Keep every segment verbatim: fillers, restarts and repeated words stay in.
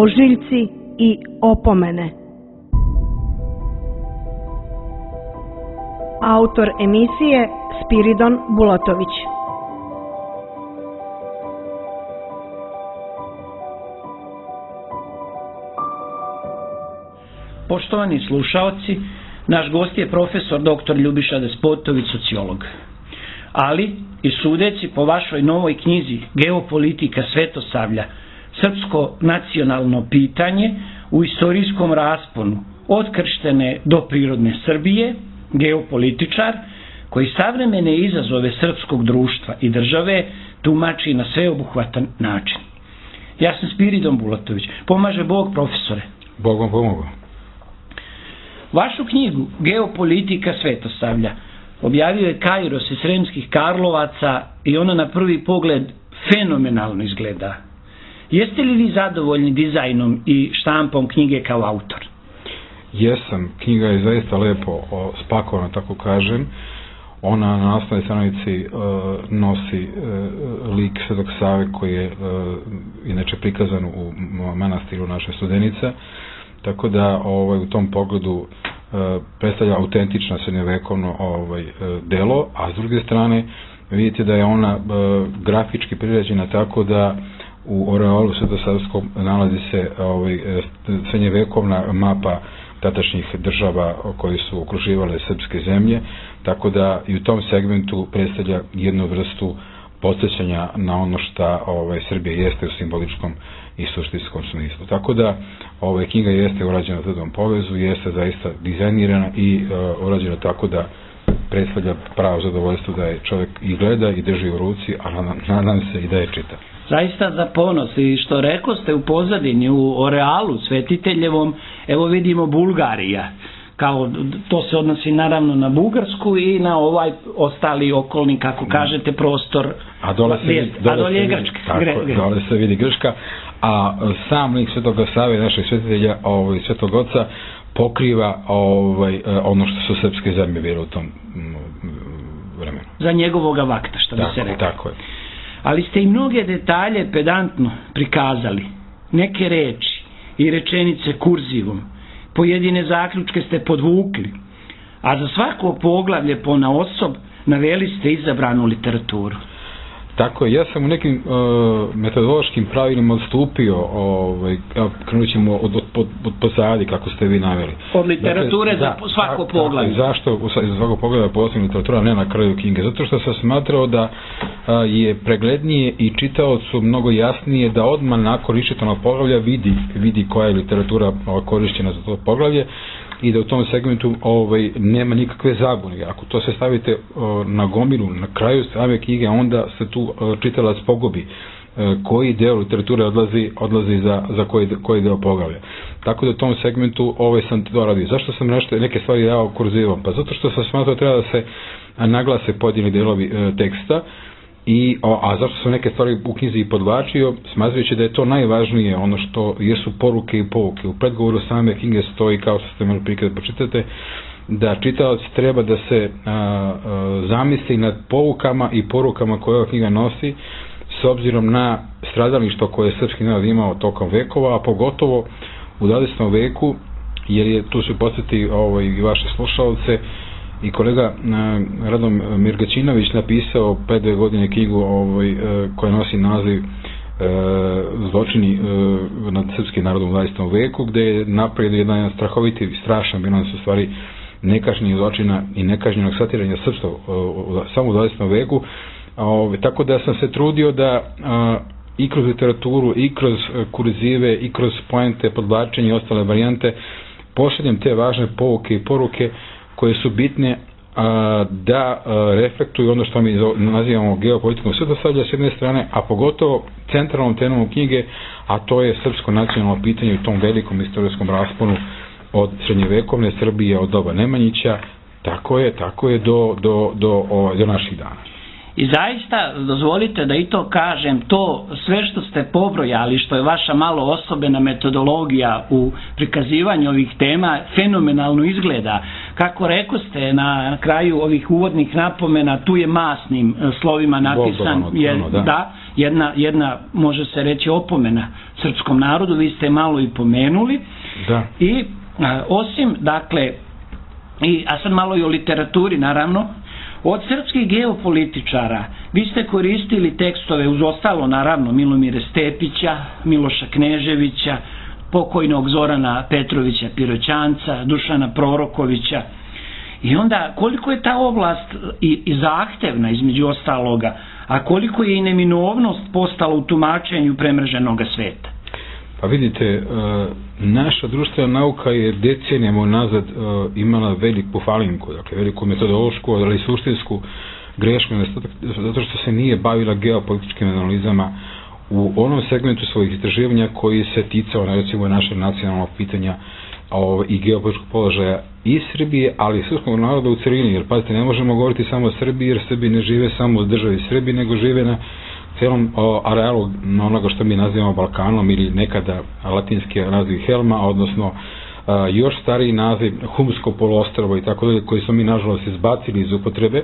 ožiljci i opomene. Autor emisije Spiridon Bulatović. Poštovani slušaoci, naš gost je profesor doktor Ljubiša Despotović, sociolog. Ali, i sudeći po vašoj novoj knjizi Geopolitika Svetosavlja, srpsko nacionalno pitanje u istorijskom rasponu od krštene do prirodne Srbije, geopolitičar koji savremene izazove srpskog društva i države tumači na sveobuhvatan način. Ja sam Spiridon Bulatović. Pomaže Bog, profesore. Bog vam pomogao. Vašu knjigu Geopolitika Svetosavlja objavio je Kairos iz Sremskih Karlovaca i ona na prvi pogled fenomenalno izgleda. Jeste li vi zadovoljni dizajnom i štampom knjige kao autor? Jesam. Knjiga je zaista lepo spakovana, tako kažem. Ona na naslovnoj stranici uh, nosi uh, lik Svetog Save koji je uh, inače prikazan u manastiru naše Studenica. Tako da ovaj, u tom pogledu uh, predstavlja autentično srednjovekovno ovaj, uh, delo, a s druge strane vidite da je ona uh, grafički priređena tako da u oreolu svetosavskom nalazi se ovaj, srednjovekovna mapa tadašnjih država koji su okruživale srpske zemlje, tako da i u tom segmentu predstavlja jednu vrstu podsjećanja na ono šta ovaj, Srbija jeste u simboličkom i suštinskom smislu. Tako da ovaj, knjiga jeste urađena u tom povezu, jeste zaista dizajnirana i uh, urađena tako da predstavlja pravo zadovoljstvo da je čovjek i gleda i drži u ruci, a nadam se i da je čita. Zaista za ponos i što rekao ste u pozadini, u orealu svetiteljevom, evo vidimo Bulgarija. Kao, to se odnosi naravno na Bugarsku i na ovaj ostali okolni, kako kažete, prostor. A dole se vidi, dole a dole je Grčka. Tako, Gre, dole se vidi Grčka, a sam lik Svetoga Save, našeg svetitelja, ovaj, Svetog Oca, pokriva ovaj, ono što su srpske zemlje bile u tom vremenu. Za njegovoga vakta, što bi tako, se rekao. Tako je. Ali ste i mnoge detalje pedantno prikazali. Neke reči i rečenice kurzivom. Pojedine zaključke ste podvukli. A za svako poglavlje ponaosob naveli ste izabranu literaturu. Tako je, ja sam u nekim uh, metodološkim pravilima odstupio, ovaj, krenut ćemo od, od, od, od pozadi, kako ste vi naveli. Od literature dakle, za svako da, poglavlje. Zašto za svako poglavlje posebna literatura, ne na kraju knjige? Zato što sam smatrao da uh, je preglednije i čitaocu mnogo jasnije da odmah nakon iščitanog poglavlja vidi, vidi koja je literatura korišćena za to poglavlje i da u tom segmentu ovaj, nema nikakve zabune. Ako to se stavite uh, na gomilu, na kraju same knjige, onda se tu uh, čitalac pogubi uh, koji deo literature odlazi, odlazi za, za koji, koji deo poglavlja. Tako da u tom segmentu ovaj sam to radio. Zašto sam nešto, neke stvari dao kurzivom? Pa zato što sam smatrao treba da se naglase pojedini delovi uh, teksta. I, a zašto sam neke stvari u knjizi i podvlačio, smatrajući da je to najvažnije, ono što jesu poruke i pouke. U predgovoru same knjige stoji, kao što ste imali prikaz da pročitate, da čitalac treba da se a, a, zamisli nad poukama i porukama koje ova knjiga nosi, s obzirom na stradalništvo koje je srpski narod imao tokom vekova, a pogotovo u dvadesetom veku, jer je tu su podsjeti ovaj, i vaše slušalce, i kolega uh, Radom Mirgaćinović napisao pre dve godine knjigu ovaj, uh, koja nosi naziv uh, Zločini uh, nad srpskim narodom u dvadesetom veku, gde je napravio jedan strahoviti, strašan bilans u stvari nekažnjih zločina i nekažnjenog satiranja srpstva uh, samo u dvadesetom veku. Uh, tako da sam se trudio da uh, i kroz literaturu, i kroz uh, kurzive, i kroz poente, podvlačenje i ostale varijante pošaljem te važne pouke i poruke koje su bitne a, da a, reflektuju ono što mi nazivamo geopolitikom svetosavlja s jedne strane, a pogotovo centralnom temom knjige, a to je srpsko nacionalno pitanje u tom velikom istorijskom rasponu od srednjevekovne Srbije, od doba Nemanjića, tako je, tako je do, do, do, do, do naših dana. I zaista, dozvolite da i to kažem, to sve što ste pobrojali, što je vaša malo osobena metodologija u prikazivanju ovih tema, fenomenalno izgleda. kako rekoste na kraju ovih uvodnih napomena, tu je masnim slovima napisan je, da. da, jedna, jedna, može se reći, opomena srpskom narodu, vi ste malo i pomenuli. Da. I a, osim, dakle, i, a sad malo i o literaturi, naravno, od srpskih geopolitičara vi ste koristili tekstove, uz ostalo, naravno, Milomira Stepića, Miloša Kneževića, pokojnog Zorana Petrovića Piroćanca, Dušana Prorokovića. I onda, koliko je ta oblast i, i zahtevna, između ostaloga, a koliko je i neminovnost postala u tumačenju premrženoga sveta? Pa vidite, naša društvena nauka je decenijama nazad imala veliku falinku, dakle veliku metodološku, ali i suštinsku grešku, zato što se nije bavila geopolitičkim analizama u onom segmentu svojih istraživanja koji se ticao, recimo, našeg nacionalnog pitanja i geopolitičkog položaja i Srbije, ali i srpskog naroda u celini, jer pazite, ne možemo govoriti samo o Srbiji, jer Srbi ne žive samo u državi Srbiji, nego žive na celom arealu onoga što mi nazivamo Balkanom, ili nekada latinski naziv Helma, odnosno još stariji naziv Humsko poluostrvo i tako dalje, koji smo mi nažalost izbacili iz upotrebe,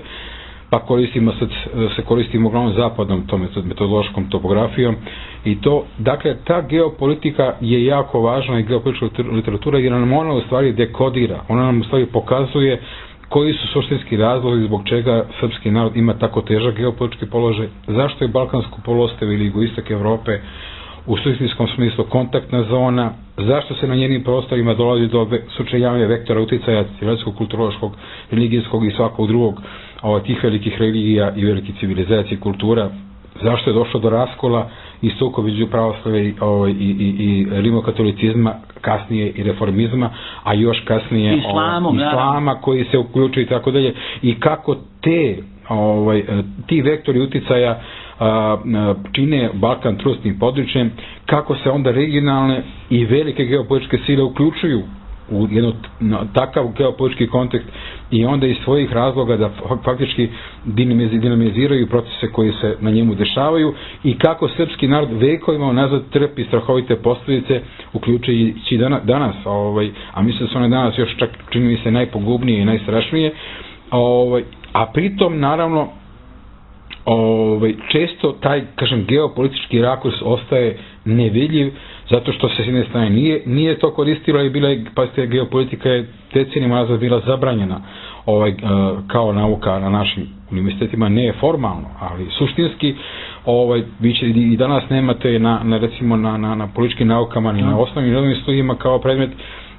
pa koristimo sad, se koristimo uglavnom zapadnom tom metodološkom topografijom. I to, dakle, ta geopolitika je jako važna i geopolitička literatura, jer nam ona u stvari dekodira, ona nam u stvari pokazuje koji su suštinski razlozi zbog čega srpski narod ima tako težak geopolitički položaj, zašto je Balkansko poluostrvo ili jugoistok Evrope u suštinskom smislu kontaktna zona, zašto se na njenim prostorima dolazi do sučeljavanja vektora uticaja civilizacijskog, kulturološkog, religijskog i svakog drugog ovaj, tih velikih religija i velikih civilizacija i kultura, zašto je došlo do raskola i sukoba između pravoslavlja i, ovaj, i, i, i rimokatolicizma, kasnije i reformizma, a još kasnije Islamom, ovaj, islama koji se uključuje i tako dalje, i kako te ovaj, ti vektori uticaja a, čine Balkan trusnim područjem, kako se onda regionalne i velike geopolitičke sile uključuju u jedan takav geopolitički kontekst i onda iz svojih razloga da faktički dinamiziraju procese koji se na njemu dešavaju, i kako srpski narod vekovima nazad trpi strahovite posljedice, uključujući danas, ovaj, a mislim da su one danas još čak čini mi se najpogubnije i najstrašnije, ovaj, a pritom naravno ovaj, često taj, kažem, geopolitički rakurs ostaje nevidljiv, zato što se s jedne strane nije, nije to koristilo i bila je, pazite, geopolitika je decenijama nazad bila zabranjena ovaj, kao nauka na našim univerzitetima, ne formalno, ali suštinski ovaj, vi će, i danas nemate na, na recimo na, na, na političkim naukama ni na osnovnim rodnim studijima kao predmet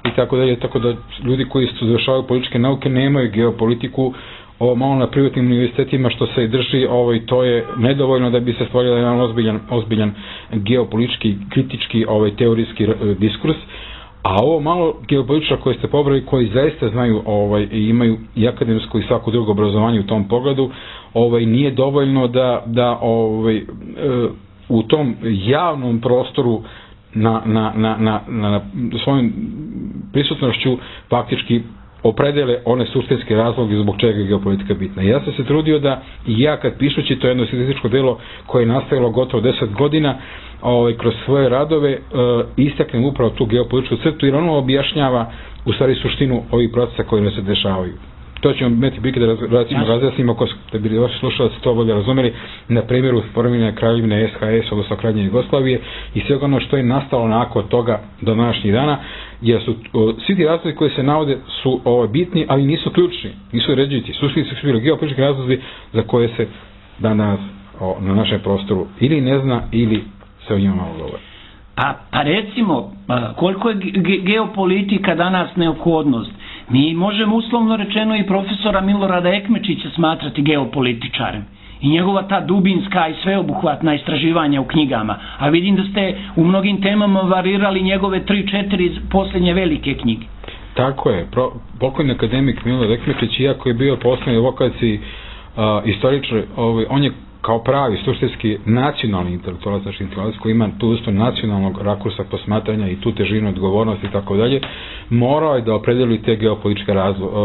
i tako dalje, tako da ljudi koji su završavaju političke nauke nemaju geopolitiku. Ovo malo na privatnim univerzitetima što se drži, ovaj, to je nedovoljno da bi se stvorio jedan ozbiljan, ozbiljan geopolitički, kritički, ovaj, teorijski diskurs, a ovo malo geopolitičara koje ste pobrali, koji zaista znaju ovaj, i imaju i akademsko i svako drugo obrazovanje u tom pogledu, ovaj, nije dovoljno da, da ovaj, u tom javnom prostoru na, na, na, na, na svojom prisutnošću faktički opredele one suštinske razloge zbog čega je geopolitika bitna. Ja sam se trudio da i ja kad pišući to jedno statističko delo koje je nastavilo gotovo deset godina ovaj, kroz svoje radove e, istaknem upravo tu geopolitičku crtu, jer ono objašnjava u stvari suštinu ovih procesa koji ne se dešavaju. To ćemo imati prilike da recimo razjasnimo, ako da bi vaši slušalci to bolje razumeli, na primjeru formiranja kraljevine S H S, odnosno Kraljevine Jugoslavije, i sve ono što je nastalo nakon toga do današnjih dana, jer su o, svi ti razlozi koji se navode su o, bitni, ali nisu ključni, nisu ređujući. Suštinski su bili geopolitički razlozi za koje se danas o, na našem prostoru ili ne zna ili se o njima malo govori. Pa, pa recimo, koliko je ge geopolitika danas neophodnost? Mi možemo uslovno rečeno i profesora Milorada Ekmečića smatrati geopolitičarem i njegova ta dubinska i sveobuhvatna istraživanja u knjigama, a vidim da ste u mnogim temama varirali njegove tri četiri posljednje velike knjige. Tako je, Pro, pokojni akademik Milorad Ekmečić, iako je bio posljednji vokaciji uh, istoričar, ovaj, on je kao pravi suštinski nacionalni intelektualac, znači intelektualac koji ima tu isto nacionalnog rakursa posmatranja i tu težinu odgovornosti i tako dalje, morao je da opredeli te geopolitičke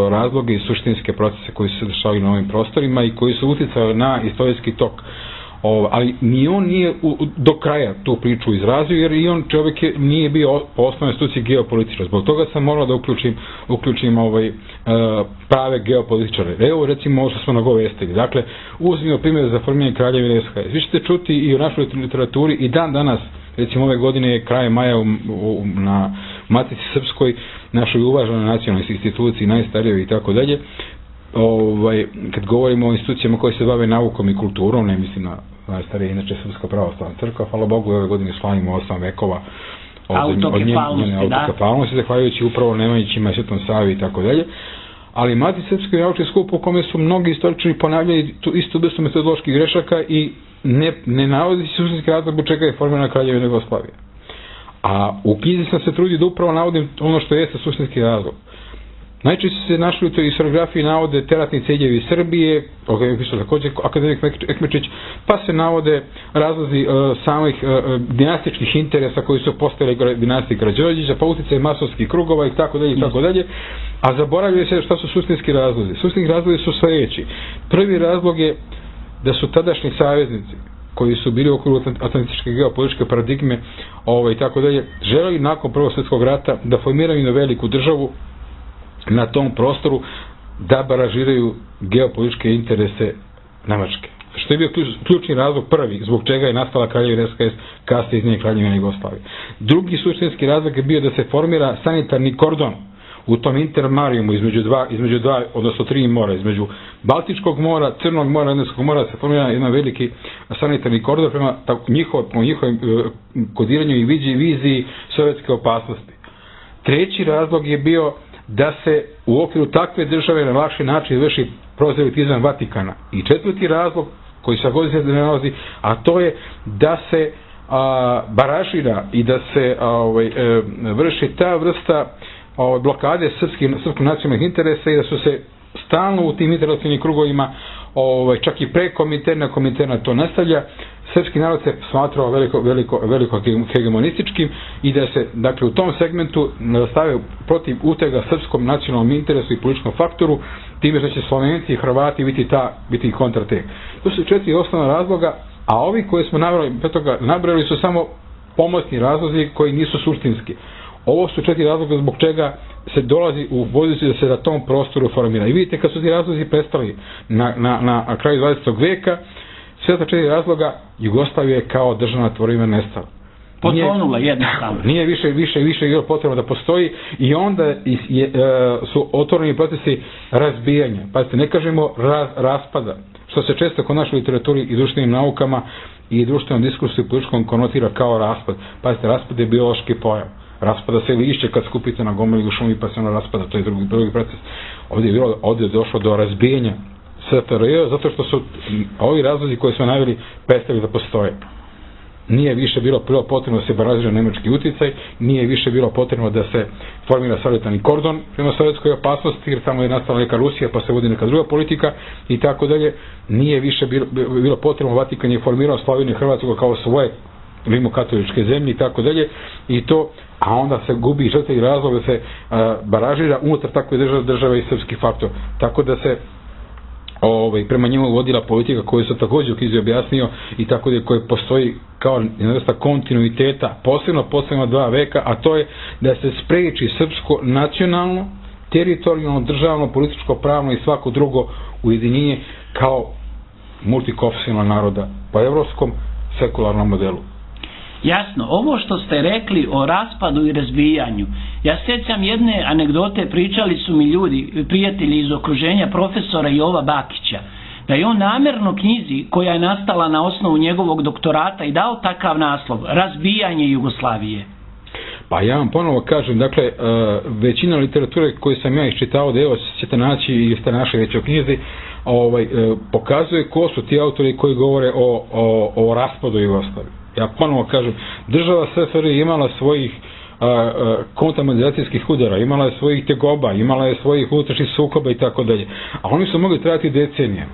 razloge i suštinske procese koji se dešavaju na ovim prostorima i koji su uticali na istorijski tok O, ali ni on nije u, do kraja tu priču izrazio, jer i on čovjek je, nije bio po osnovnoj instituciji geopolitičar. Zbog toga sam morao da uključim, uključim ovaj, uh, prave geopolitičare. Evo recimo ovo što smo nagovestili. Dakle, uzmimo primjer za formiranje Kraljevine S H S. Vi ćete čuti i u našoj literaturi i dan danas, recimo ove godine kraje maja u, u, na Matici Srpskoj, našoj uvaženoj nacionalnoj instituciji, najstarijoj i tako dalje, ovaj, kad govorimo o institucijama koje se bave naukom i kulturom, ne mislim na najstarije, inače Srpska pravoslavna crkva, hvala Bogu, ove godine slavimo osam vekova od, od njene autokefalnosti, zahvaljujući upravo Nemanjićima, Svetom Savi i tako dalje. Ali Matici Srpskoj naučni skup u kome su mnogi istoričari ponavljali tu istu vrstu metodoloških grešaka i ne, ne navodi se suštinski razlog zbog čega je formirana Kraljevina Jugoslavija. A u knjizi sam se trudio da upravo navodim ono što jeste suštinski razlog. Najčešće se našli u toj historiografiji navode teratni ciljevi Srbije, o kojem je pisao također akademik Ekmečić, pa se navode razlozi uh, samih uh, dinastičkih interesa koji su postojali dinastije Karađorđevića, pa utjecaj masovskih krugova i tako dalje i tako dalje, a zaboravljaju se šta su suštinski razlozi. Suštinski razlozi su sljedeći. Prvi razlog je da su tadašnji saveznici koji su bili u okviru atlantičke geopolitičke paradigme ovaj, i tako dalje, želeli nakon Prvog svjetskog rata da formiraju na veliku državu na tom prostoru da baražiraju geopolitičke interese Nemačke. Što je bio ključni razlog prvi, zbog čega je nastala Kraljevina S H S, kasnije iz nje Kraljevina Jugoslavije. Drugi suštinski razlog je bio da se formira sanitarni kordon u tom intermarijumu između dva, između dva, odnosno tri mora, između Baltičkog mora, Crnog mora, Jadranskog mora, se formira jedan veliki sanitarni kordon prema njihov, njihovim kodiranju i viziji sovjetske opasnosti. Treći razlog je bio da se u okviru takve države na lakši način vrši prozelitizam Vatikana. I četvrti razlog, koji se godinu ne nalazi, a to je da se a, baražira i da se a, ovaj, e, vrši ta vrsta a, blokade srpskih, srpskih nacionalnih interesa i da su se stalno u tim internacionalnim krugovima, ovaj, čak i pre Kominterna, Kominterna to nastavlja, srpski narod se smatrao veliko, veliko, veliko hegemonističkim i da se, dakle, u tom segmentu nastave protiv utega srpskom nacionalnom interesu i političkom faktoru, time što će Slovenci i Hrvati biti, ta, biti kontratek. To su četiri osnovna razloga, a ovi koje smo nabrali, nabrali su samo pomoćni razlozi koji nisu suštinski. Ovo su četiri razloga zbog čega se dolazi u poziciju da se na tom prostoru formira. I vidite, kad su ti razlozi prestali na, na, na kraju dvadesetog vijeka, sve ta četiri razloga Jugoslavija je kao državna tvorevina nestala. Potonula jednostavno. Nije više, više, više bilo potrebno da postoji i onda je, je, su otvoreni procesi razbijanja. Pazite, ne kažemo raz, raspada, što se često kod našoj literaturi i društvenim naukama i društvenom diskursu i političkom konotira kao raspad. Pazite, raspad je biološki pojam. Raspada se lišće kad skupite na gomili u šumi pa se ono raspada, to je drugi, drugi proces. Ovdje je, bilo, ovdje je došlo do razbijenja S F R J zato što su ovi razlozi koje smo naveli prestali da postoje. Nije više bilo prvo potrebno da se baražira nemački utjecaj, nije više bilo potrebno da se formira sanitarni kordon prema sovjetskoj opasnosti, jer tamo je nastala neka Rusija pa se vodi neka druga politika i tako dalje. Nije više bilo, bilo potrebno, Vatikan je formirao Sloveniju i Hrvatsku kao svoje rimokatoličke zemlje i tako dalje i to, a onda se gubi žrtve i razlog da se a, baražira unutar takve države, države i srpski faktor. Tako da se ovaj, prema njemu vodila politika koju se također u knjizi objasnio i tako da koje postoji kao jedna vrsta kontinuiteta, posebno posebno dva veka, a to je da se spreči srpsko nacionalno, teritorijalno, državno, političko, pravno i svako drugo ujedinjenje kao multikonfesionalnog naroda po evropskom sekularnom modelu. Jasno, ovo što ste rekli o raspadu i razbijanju, ja sjećam jedne anegdote, pričali su mi ljudi, prijatelji iz okruženja profesora Jova Bakića, da je on namjerno knjizi koja je nastala na osnovu njegovog doktorata i dao takav naslov, Razbijanje Jugoslavije. Pa ja vam ponovo kažem, dakle, većina literature koju sam ja iščitao, da evo ćete naći i ste našli već u knjizi, ovaj, pokazuje ko su ti autori koji govore o, o, o raspadu Jugoslavije. Ja ponovo kažem, država S F R J imala svojih kontamanizacijskih udara, imala je svojih tegoba, imala je svojih unutrašnjih sukoba i tako dalje. A oni su mogli trajati decenijama.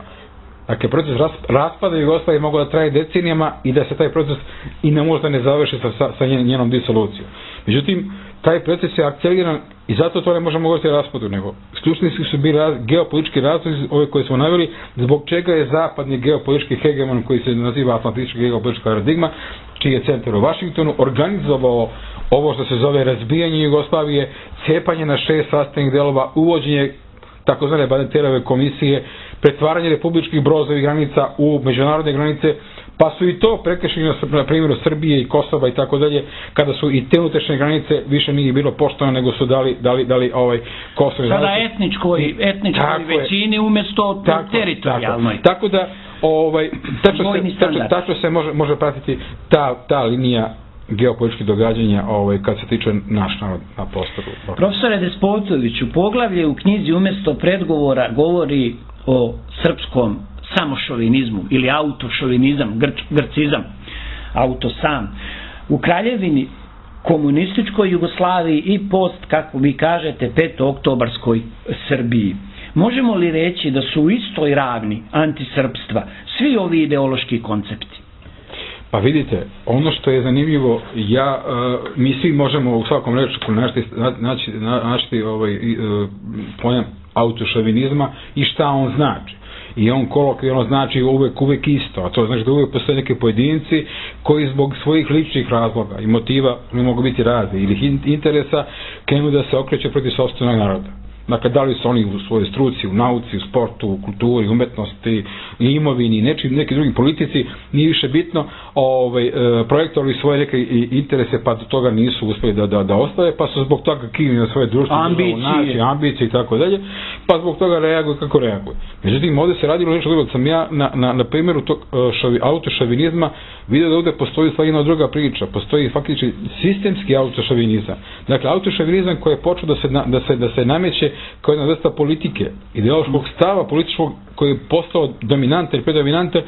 Dakle, proces raspada Jugoslavije mogao da traje decenijama i da se taj proces i ne možda ne završi sa, sa njenom disolucijom. Međutim, taj proces je akceliran I zato to ne možemo govoriti o raspadu, nego ključni su bili raz, geopolitički razlozi, ove koje smo naveli, zbog čega je zapadni geopolitički hegemon, koji se naziva atlantička geopolitička paradigma, čiji je centar u Vašingtonu, organizovao ovo što se zove razbijanje Jugoslavije, cepanje na šest sastavnih delova, uvođenje takozvane Bandeterove komisije, pretvaranje republičkih brozovih granica u međunarodne granice, pa su i to prekršili na primjeru Srbije i Kosova i tako dalje, kada su i te unutrašnje granice više nije bilo poštovano, nego su dali, dali, dali ovaj Kosovo. Sada etničkoj, etničkoj većini umjesto teritorijalnoj. Tako, tako da, ovaj, tačno se, tačno, tačno se može, može pratiti ta, ta linija geopolitičkih događanja ovaj, kad se tiče naš narod na prostoru. Profesore Despotoviću, poglavlje u knjizi umjesto predgovora govori o srpskom samošovinizmu ili autošovinizam, grč, grcizam, auto sam. U Kraljevini komunističkoj Jugoslaviji i post, kako vi kažete, petooktobarskoj Srbiji. Možemo li reći da su u istoj ravni antisrpstva svi ovi ideološki koncepti? Pa vidite, ono što je zanimljivo, ja, uh, mi svi možemo u svakom rečku naći, naći, naći ovaj, uh, pojam autošovinizma i šta on znači. I on kolokvijalno znači uvek, uvek isto, a to znači da uvek postoje neke pojedinci koji zbog svojih ličnih razloga i motiva, ne mogu biti razni, ili interesa, krenu da se okreću protiv sopstvenog naroda. Dakle, da li su oni u svojoj struci, u nauci, u sportu, u kulturi, umetnosti, imovini, nečim, neki drugi politici, nije više bitno, ovaj, projektovali svoje neke interese, pa do toga nisu uspjeli da, da, da ostave, pa su zbog toga kivni na svoje društvo, ambicije, ambicije i tako dalje, pa zbog toga reaguju kako reaguju. Međutim, ovdje se radilo nešto drugo, sam ja na, na, na primjeru tog šavi, autošovinizma vidio da ovdje postoji stvar jedna druga priča, postoji faktički sistemski autošovinizam. Dakle, autošovinizam koji je počeo da se, da se, da se nameće kao jedna vrsta politike, ideološkog stava političkog koji je postao dominantan i predominantan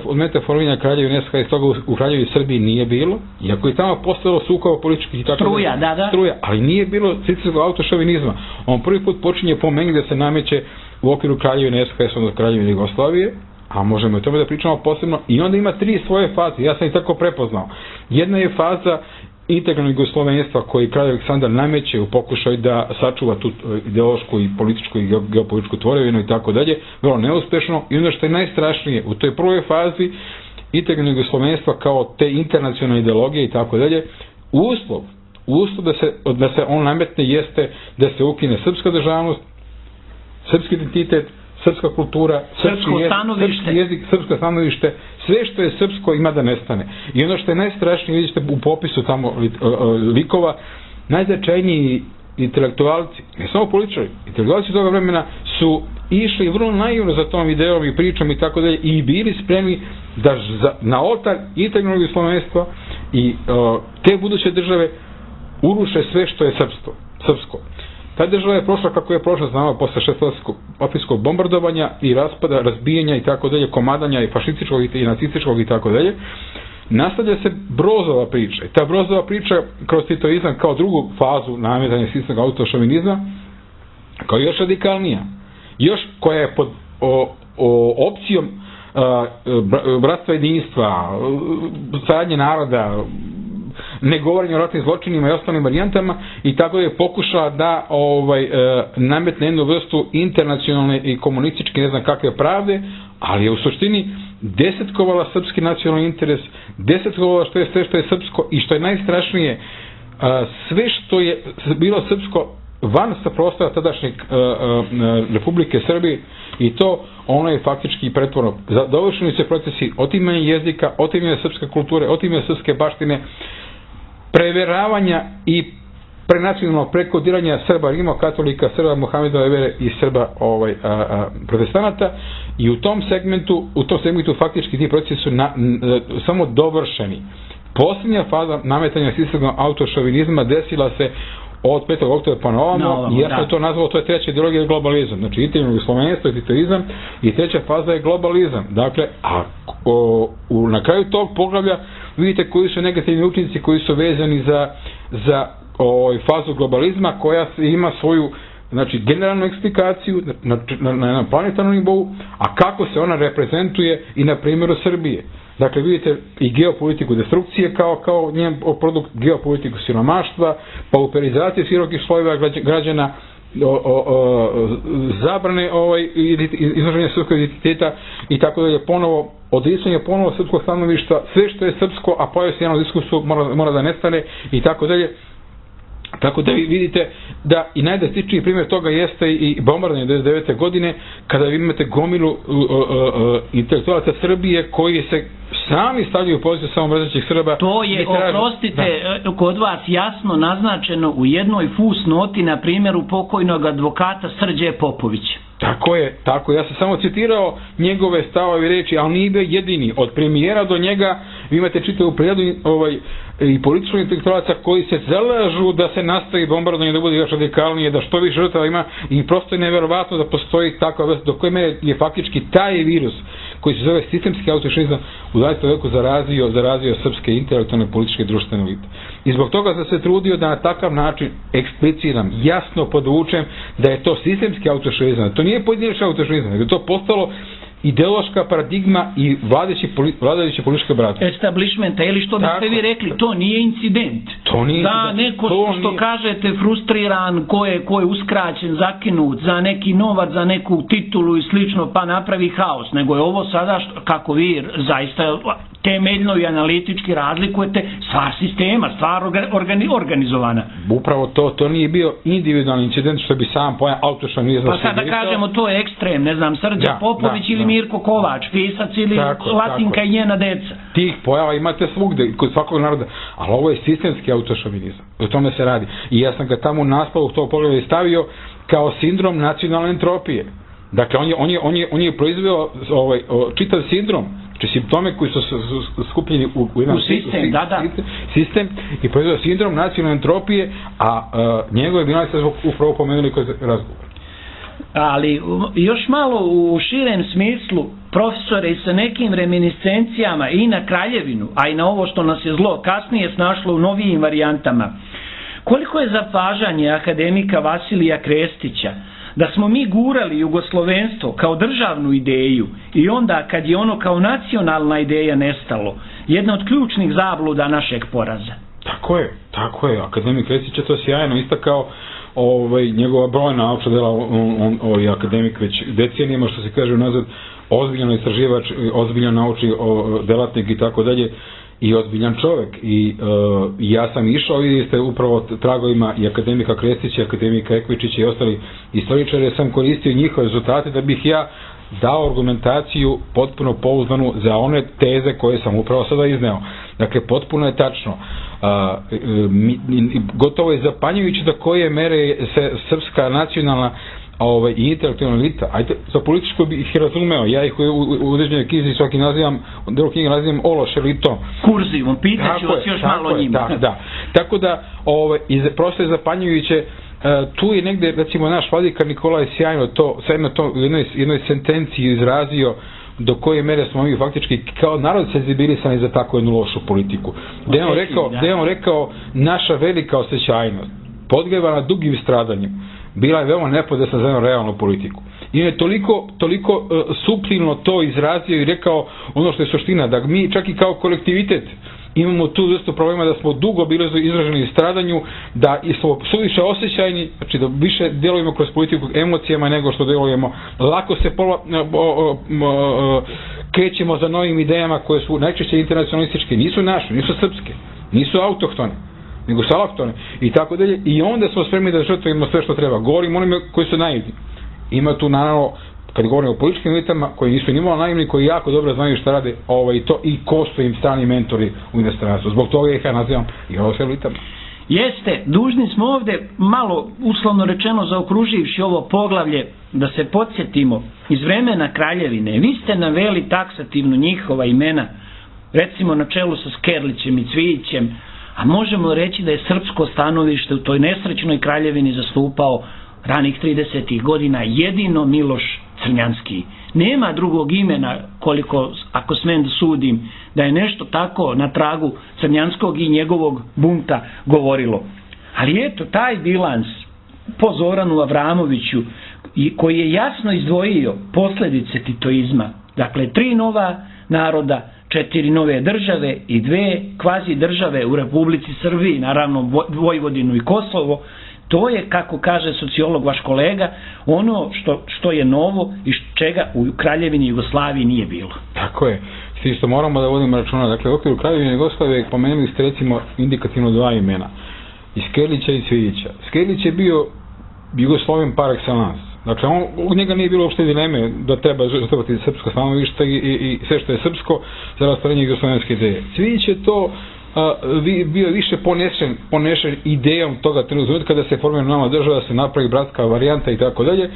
od metaforminja Kraljevine N S H, iz toga u, u Kraljevini Srbiji nije bilo, iako je tamo postalo sukoba političkih i tako struja, da, da. struja, ali nije bilo sistemskog autošovinizma. On prvi put počinje po meni da se nameće u okviru Kraljevine N S H, odnosno Kraljevine Jugoslavije, a možemo i o tome da pričamo posebno, i onda ima tri svoje faze, ja sam ih tako prepoznao. Jedna je faza integralnog jugoslovenstva koji kralj Aleksandar nameće u pokušaju da sačuva tu ideološku i političku i geopolitičku tvorevinu i tako dalje, vrlo neuspešno. I ono što je najstrašnije, u toj prvoj fazi integralnog jugoslovenstva kao te internacionalne ideologije i tako dalje, uslov, uslov da se, da se on nametne jeste da se ukine srpska državnost, srpski identitet, srpska kultura, srpski jezik, srpski jezik, srpsko stanovište, sve što je srpsko ima da nestane. I ono što je najstrašnije, vidite u popisu tamo likova, najznačajniji intelektualci, ne samo političari, intelektualci toga vremena su išli vrlo naivno za tom ideom i pričom i tako dalje i bili spremni da za, na oltar integralnog jugoslovenstva i uh, te buduće države uruše sve što je srpsko. srpsko. Ta država je prošla kako je prošla, znamo, posle šestomesečnog bombardovanja i raspada, razbijanja i tako dalje, komadanja i fašističkog i nacističkog i tako dalje. Nastavlja se Brozova priča. I ta Brozova priča kroz titoizam kao drugu fazu nametanja sistemskog autošovinizma, kao još radikalnija. Još koja je pod o, o, opcijom a, bratstva jedinstva, saradnje naroda, ne govorenje o ratnim zločinima i ostalim varijantama, i tako je pokušala da ovaj, e, nametne jednu vrstu internacionalne i komunističke ne znam kakve pravde, ali je u suštini desetkovala srpski nacionalni interes, desetkovala što je sve što je srpsko i što je najstrašnije, a, sve što je bilo srpsko van sa prostora tadašnjeg a, a, Republike Srbije, i to ono je faktički pretvorno. Dovršeni se procesi otimanja jezika, otimanja srpske kulture, otimanja srpske baštine, preveravanja i prenacionalnog prekodiranja Srba rimokatolika, Srba Mohamedove vere i Srba ovaj, a, a, protestanata, i u tom segmentu u tom segmentu faktički ti procesi su na, n, samo dovršeni. Posljednja faza nametanja sistemskog autošovinizma desila se od petog oktobra pa na ovamo, i ja sam to nazvao, to je treća ideologija, globalizam. Znači, integralno jugoslovenstvo i titoizam, i treća faza je globalizam. Dakle, a o, u, na kraju tog poglavlja vidite koji su negativni učinci koji su vezani za, za o, fazu globalizma, koja ima svoju, znači, generalnu eksplikaciju na, na, na, na planetarnom nivou, a kako se ona reprezentuje i na primjeru Srbije. Dakle, vidite i geopolitiku destrukcije kao, kao njen produkt, geopolitiku siromaštva, pauperizacije širokih slojeva građana, o, o, o, zabrane ovaj, izraženja srpskog identiteta i tako dalje, ponovo odricanje ponovo srpskog stanovišta, sve što je srpsko, a pojave se jednom diskursu mora, mora da nestane i tako dalje. Tako da vi vidite da i najdrastičniji primjer toga jeste i bombardovanje devedeset devete godine, kada vi imate gomilu uh, uh, uh, intelektualaca Srbije koji se sami stavljaju u poziciju samomrzećih Srba. To je, oprostite, da. Kod vas jasno naznačeno u jednoj fusnoti na primjeru pokojnog advokata Srđe Popovića. Tako je, tako. Ja sam samo citirao njegove stavove i reči, ali nije bio jedini. Od premijera do njega vi imate čitavu prijadu ovaj, i političkog intelektualaca koji se zalažu da se nastavi bombardovanje, da bude još radikalnije, da što više žrtava ima i prosto je neverovatno da postoji takva vrsta, do koje mere je faktički taj virus koji se zove sistemski autošinizam u dvadesetom veku zarazio, zarazio srpske intelektualne, političke i društvene elite. I zbog toga sam se trudio da na takav način ekspliciram, jasno podvučem da je to sistemski autošinizam, to nije pojedinačni autošinizam, nego je to postalo ideološka paradigma i vladajući vladajuće političke brate. Establishmenta, ili što biste vi rekli, to nije incident. To nije da incident. neko to što nije... kažete frustriran, ko je, ko je uskraćen, zakinut za neki novac, za neku titulu i slično, pa napravi haos. Nego je ovo sada, što, kako vi zaista temeljno i analitički razlikujete, stvar sistema, stvar organi, organizovana. Upravo to, to nije bio individualni incident što bi sam pojam autošinizam. Pa sada da kažemo to je ekstrem, ne znam, Srđa da, Popović da, ili da. Mirko Kovač, pisac ili tako, Latinka tako. I njena deca. Tih pojava imate svugde, kod svakog naroda, ali ovo je sistemski autošovinizam. O tome se radi. I ja sam ga tamo u naslovu tog pogleda stavio kao sindrom nacionalne entropije. Dakle, on je, on je, on je, on je proizveo ovaj, čitav sindrom, znači simptome koji su skupljeni u, u jedan u sistem, u, da, da. sistem i proizveo sindrom nacionalne entropije, a uh, njegove bilanci se upravo pomenuli kod razgovora. Ali još malo u širem smislu, profesore, i sa nekim reminiscencijama i na Kraljevinu, a i na ovo što nas je zlo kasnije snašlo u novijim varijantama, koliko je zapažanje akademika Vasilija Krestića da smo mi gurali jugoslovenstvo kao državnu ideju i onda kad je ono kao nacionalna ideja nestalo, jedna od ključnih zabluda našeg poraza. Tako je, tako je. Akademik Krestić je to sjajno istakao, ovaj, njegova brojna naučna dela, on, on, ovaj, akademik već decenijama, što se kaže nazad, ozbiljan istraživač, ozbiljan naučni delatnik i tako dalje, i ozbiljan čovjek. I uh, ja sam išao, vidite, upravo tragovima i akademika Krestića, akademika Ekvičića i ostali istoričari, sam koristio njihove rezultate da bih ja dao argumentaciju potpuno pouzdanu za one teze koje sam upravo sada izneo. Dakle, potpuno je tačno. Uh, mi, gotovo je zapanjujuće do koje mere se srpska nacionalna ovaj, i intelektualna elita, ajde, za političko bih ih razumeo, ja ih u, u, u određenoj knjizi svaki nazivam, delu knjige nazivam ološ elitom. Kurzivom, pitaću vas još malo je, njima. Da, da. Tako da, ovaj, iz, prosto je zapanjujuće, uh, tu je negde, recimo, naš vladika Nikolaj sjajno to, sjajno to u jednoj, jednoj sentenciji izrazio do koje mere smo mi faktički kao narod senzibilisani za takvu jednu lošu politiku. Gde je on rekao, gde je on rekao naša velika osjećajnost, podgrevana dugim stradanjem, bila je veoma nepodesna za jednu realnu politiku. I on je toliko, toliko uh, suptilno to izrazio i rekao ono što je suština, da mi čak i kao kolektivitet imamo tu vrstu problema da smo dugo bili izraženi stradanju, da smo suviše osjećajni, znači da više djelujemo kroz politiku emocijama nego što djelujemo. Lako se pola, o, o, o, krećemo za novim idejama koje su najčešće internacionalističke, nisu naše, nisu srpske, nisu autohtone, nego su alohtone i tako dalje. I onda smo spremni da žrtvujemo sve što treba. Govorimo onima koji su naivni. Ima tu naravno, kad govorimo o političkim elitama koji nisu nimalo naivni, koji jako dobro znaju šta rade ovaj, to, i ko su im strani mentori u inostranstvu. Zbog toga ih ja nazivam i ovo s elitama. Jeste, dužni smo ovde malo, uslovno rečeno, zaokruživši ovo poglavlje, da se podsjetimo iz vremena Kraljevine. Vi ste naveli taksativno njihova imena, recimo na čelu sa Skerlićem i Cvijićem, a možemo reći da je srpsko stanovište u toj nesrećnoj Kraljevini zastupao ranih tridesetih godina jedino Miloš Crnjanski. Nema drugog imena, koliko, ako smem da sudim, da je nešto tako na tragu Crnjanskog i njegovog bunta govorilo. Ali eto, taj bilans po Zoranu Avramoviću, koji je jasno izdvojio posljedice titoizma, dakle, tri nova naroda, četiri nove države i dve kvazi države u Republici Srbiji, naravno Vojvodinu i Kosovo. To je, kako kaže sociolog vaš kolega, ono što, što je novo i čega u Kraljevini Jugoslaviji nije bilo. Tako je. Svi što moramo da vodimo računa. Dakle, u okviru Kraljevine Jugoslavije pomenuli ste recimo indikativno dva imena. I Skerlića i Cvijića. Skerlić je bio Jugosloven par excellence. Dakle, on, u njega nije bilo uopšte dileme da treba žrtvovati srpsko stanovište i, i, i sve što je srpsko za ostvarenje jugoslovenske ideje. Cvijić je to a, vi, bio više ponešen, ponešen idejom toga trenutka da se formira nova država, da se napravi bratska varijanta i tako dalje,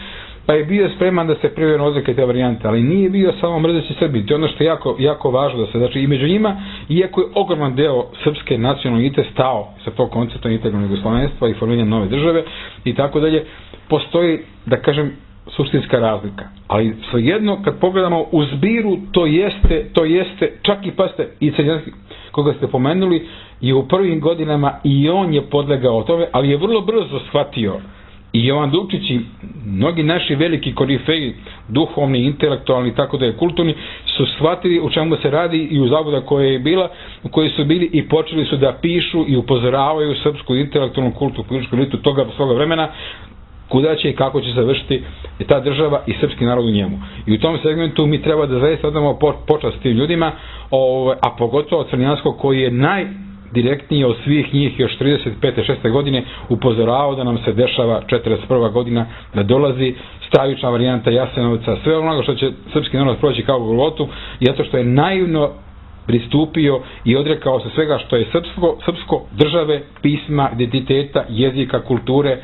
pa je bio spreman da se privredno odreke te varijante, ali nije bio samo mrzeći Srbi. To je ono što je jako, jako važno da se, znači i među njima, iako je ogroman deo srpske nacionalne elite stao sa tog koncepta integralnog jugoslovenstva i formiranja nove države i tako dalje, postoji, da kažem, suštinska razlika. Ali svejedno, kad pogledamo u zbiru, to jeste, to jeste, čak i paste, i Crnjanski, koga ste pomenuli, je u prvim godinama i on je podlegao tome, ali je vrlo brzo shvatio i Jovan Dukčić i mnogi naši veliki korifeji, duhovni, intelektualni, tako da je kulturni, su shvatili u čemu se radi i u zabuda koja je bila, u kojoj su bili i počeli su da pišu i upozoravaju srpsku intelektualnu kultu, političku elitu toga svoga vremena, kuda će i kako će završiti ta država i srpski narod u njemu. I u tom segmentu mi treba da zaista odamo počast tim ljudima, a pogotovo Crnjanskog koji je najdirektnije od svih njih još trideset pete šeste godine upozorao da nam se dešava četrdeset prva godina, da dolazi stravična varijanta Jasenovca, sve ono što će srpski narod proći kao Golgotu, zato što je naivno pristupio i odrekao se svega što je srpsko, srpsko države, pisma, identiteta, jezika, kulture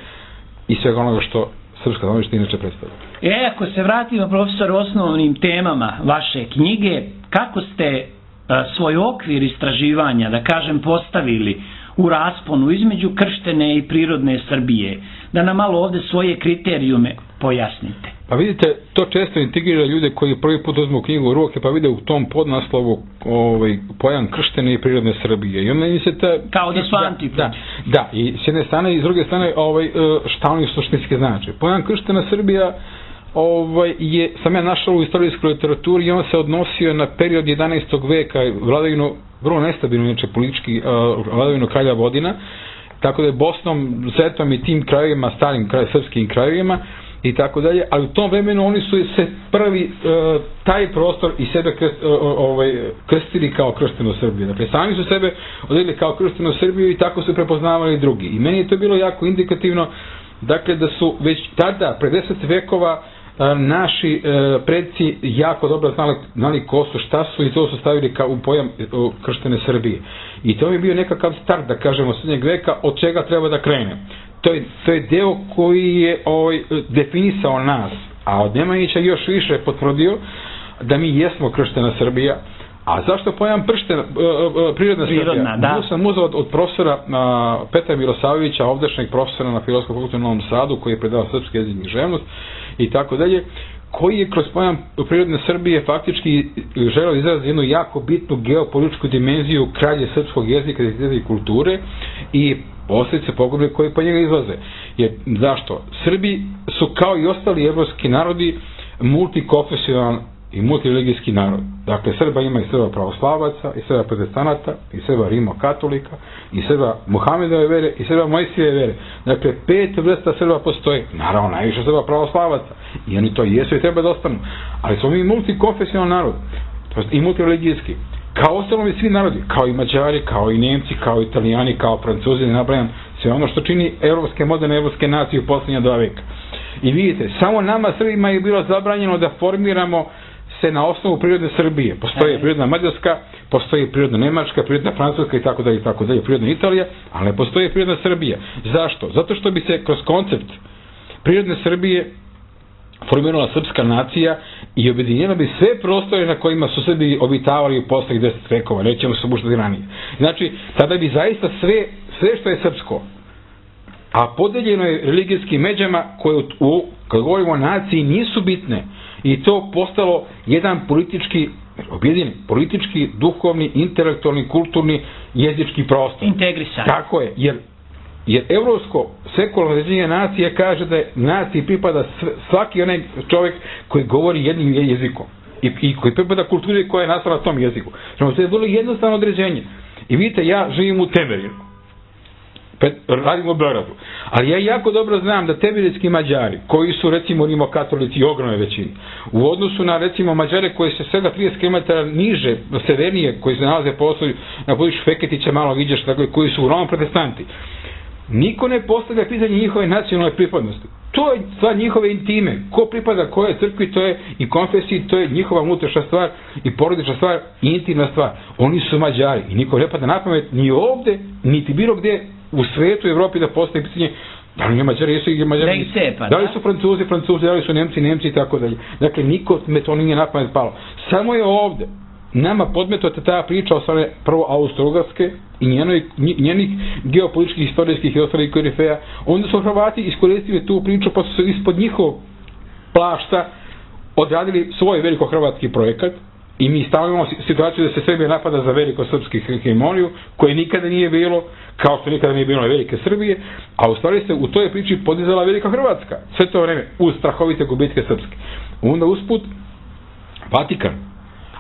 i svega onoga što srpska stanovište inače predstavlja. E, ako se vratimo, profesor, osnovnim temama vaše knjige, kako ste a, svoj okvir istraživanja, da kažem, postavili u rasponu između krštene i prirodne Srbije? Da nam malo ovde svoje kriterijume pojasnite. Pa vidite, to često integrira ljude koji prvi put uzmu knjigu u ruke, pa vide u tom podnaslovu ovaj, pojam krštene i prirodne Srbije. I onda mi se ta... Kao da su antipod. Da, da, i s jedne strane i s druge strane ovaj, šta oni suštinski znači. Pojam krštena Srbija ovaj, je, sam ja našao u istorijskoj literaturi i on se odnosio na period jedanaestog veka, vladavinu, vrlo nestabilno, inače politički, vladavinu kralja Vodina, tako da je Bosnom, Zetom i tim krajevima, starim kraj, srpskim krajevima i tako dalje, ali u tom vremenu oni su se prvi uh, taj prostor i sebe krst, uh, ovaj, krstili kao krštenu Srbiju. Dakle, sami su sebe odredili kao krštenu Srbiju i tako su prepoznavali drugi. I meni je to bilo jako indikativno, dakle, da su već tada, pre deset vekova, uh, naši uh, predci jako dobro znali, znali ko su, šta su i to su stavili kao u pojam uh, krštene Srbije. I to mi je bio nekakav start, da kažemo, srednjeg veka, od čega treba da krene. To je, to je deo koji je ovaj, definisao nas, a od Nemanjića još više potvrdio da mi jesmo krštena Srbija. A zašto pojam prštena, prirodna Srbija? Da. Ja sam uzao od, od profesora a, Petra Milosavljevića, ovdašnjeg profesora na Filozofskom fakultetu u Novom Sadu, koji je predao srpski jezik i književnost i tako dalje, koji je kroz pojam prirodne Srbije faktički želeo izraziti jednu jako bitnu geopolitičku dimenziju kralje srpskog jezika i kulture i posljedice pogube koje po njega izlaze. Jer, zašto? Srbi su kao i ostali evropski narodi multikonfesionalan i multireligijski narod. Dakle, Srba ima i Srba pravoslavaca, i Srba protestanata, i Srba rimokatolika, i Srba Muhamedove vere, i Srba Mojsijeve vere. Dakle, pet vrsta Srba postoji. Naravno, najviše Srba pravoslavaca. I oni to jesu i treba da ostanu. Ali smo mi multikonfesionalan narod. I multireligijski. Kao ostalo i svi narodi, kao i Mađari, kao i Nemci, kao i Italijani, kao Francuzi, ne nabrajam sve ono što čini evropske, moderne evropske nacije u posljednja dva veka. I vidite, samo nama Srbima je bilo zabranjeno da formiramo se na osnovu prirodne Srbije. Postoji prirodna Mađarska, postoji prirodna Nemačka, prirodna Francuska i tako dalje i tako dalje, prirodna Italija, ali ne postoji prirodna Srbija. Zašto? Zato što bi se kroz koncept prirodne Srbije formirala srpska nacija i objedinjena bi sve prostore na kojima su Srbi obitavali u posljednjih deset vekova, nećemo se buštati ranije. Znači, tada bi zaista sve, sve što je srpsko, a podeljeno je religijskim međama koje, u, kad govorimo o naciji, nisu bitne i to postalo jedan politički, objedinjen, politički, duhovni, intelektualni, kulturni, jezički prostor. Integrisan. Tako je, jer Jer evropsko sekularno razvijenje nacije kaže da je naciji pripada svaki onaj čovjek koji govori jednim jezikom. i, i koji pripada kulturi koja je nastala na tom jeziku. Znači, to je vrlo jednostavno određenje. I vidite, ja živim u Temerinu, radim u Beogradu, ali ja jako dobro znam da temerinski Mađari, koji su recimo rimokatolici i ogromne većini, u odnosu na recimo Mađare koji se svega trideset kilometara niže, severnije, koji se nalaze poslovi na području Feketića, malo viđeš, dakle, koji su uglavnom protestanti, niko ne postavlja pitanje njihove nacionalne pripadnosti. To je stvar njihove intime. Ko pripada koje crkvi, to je i konfesiji, to je njihova unutrašnja stvar i porodična stvar i intimna stvar. Oni su Mađari i niko ne pada na pamet ni ovde, niti bilo gde u svetu i Evropi da postaje pitanje da li Mađari jesu i Mađari nisu. Da li su Francuzi, Francuzi, da li su Nemci, Nemci i tako dalje. Dakle, niko me to nije na pamet palo. Samo je ovde nama podmetota ta priča o strane prvo Austro-Ugarske i njenoj, njenih geopolitičkih, historijskih i ostalih korifeja. Onda su Hrvati iskoristili tu priču pa su se ispod njihov plašta odradili svoj veliko-hrvatski projekat i mi stavimo imamo situaciju da se Srbija napada za veliko-srpski hegemoniju koje nikada nije bilo, kao što nikada nije bilo velike Srbije, a u stvari se u toj priči podizala velika Hrvatska sve to vreme uz strahovite gubitke srpske. Onda usput Vatikan.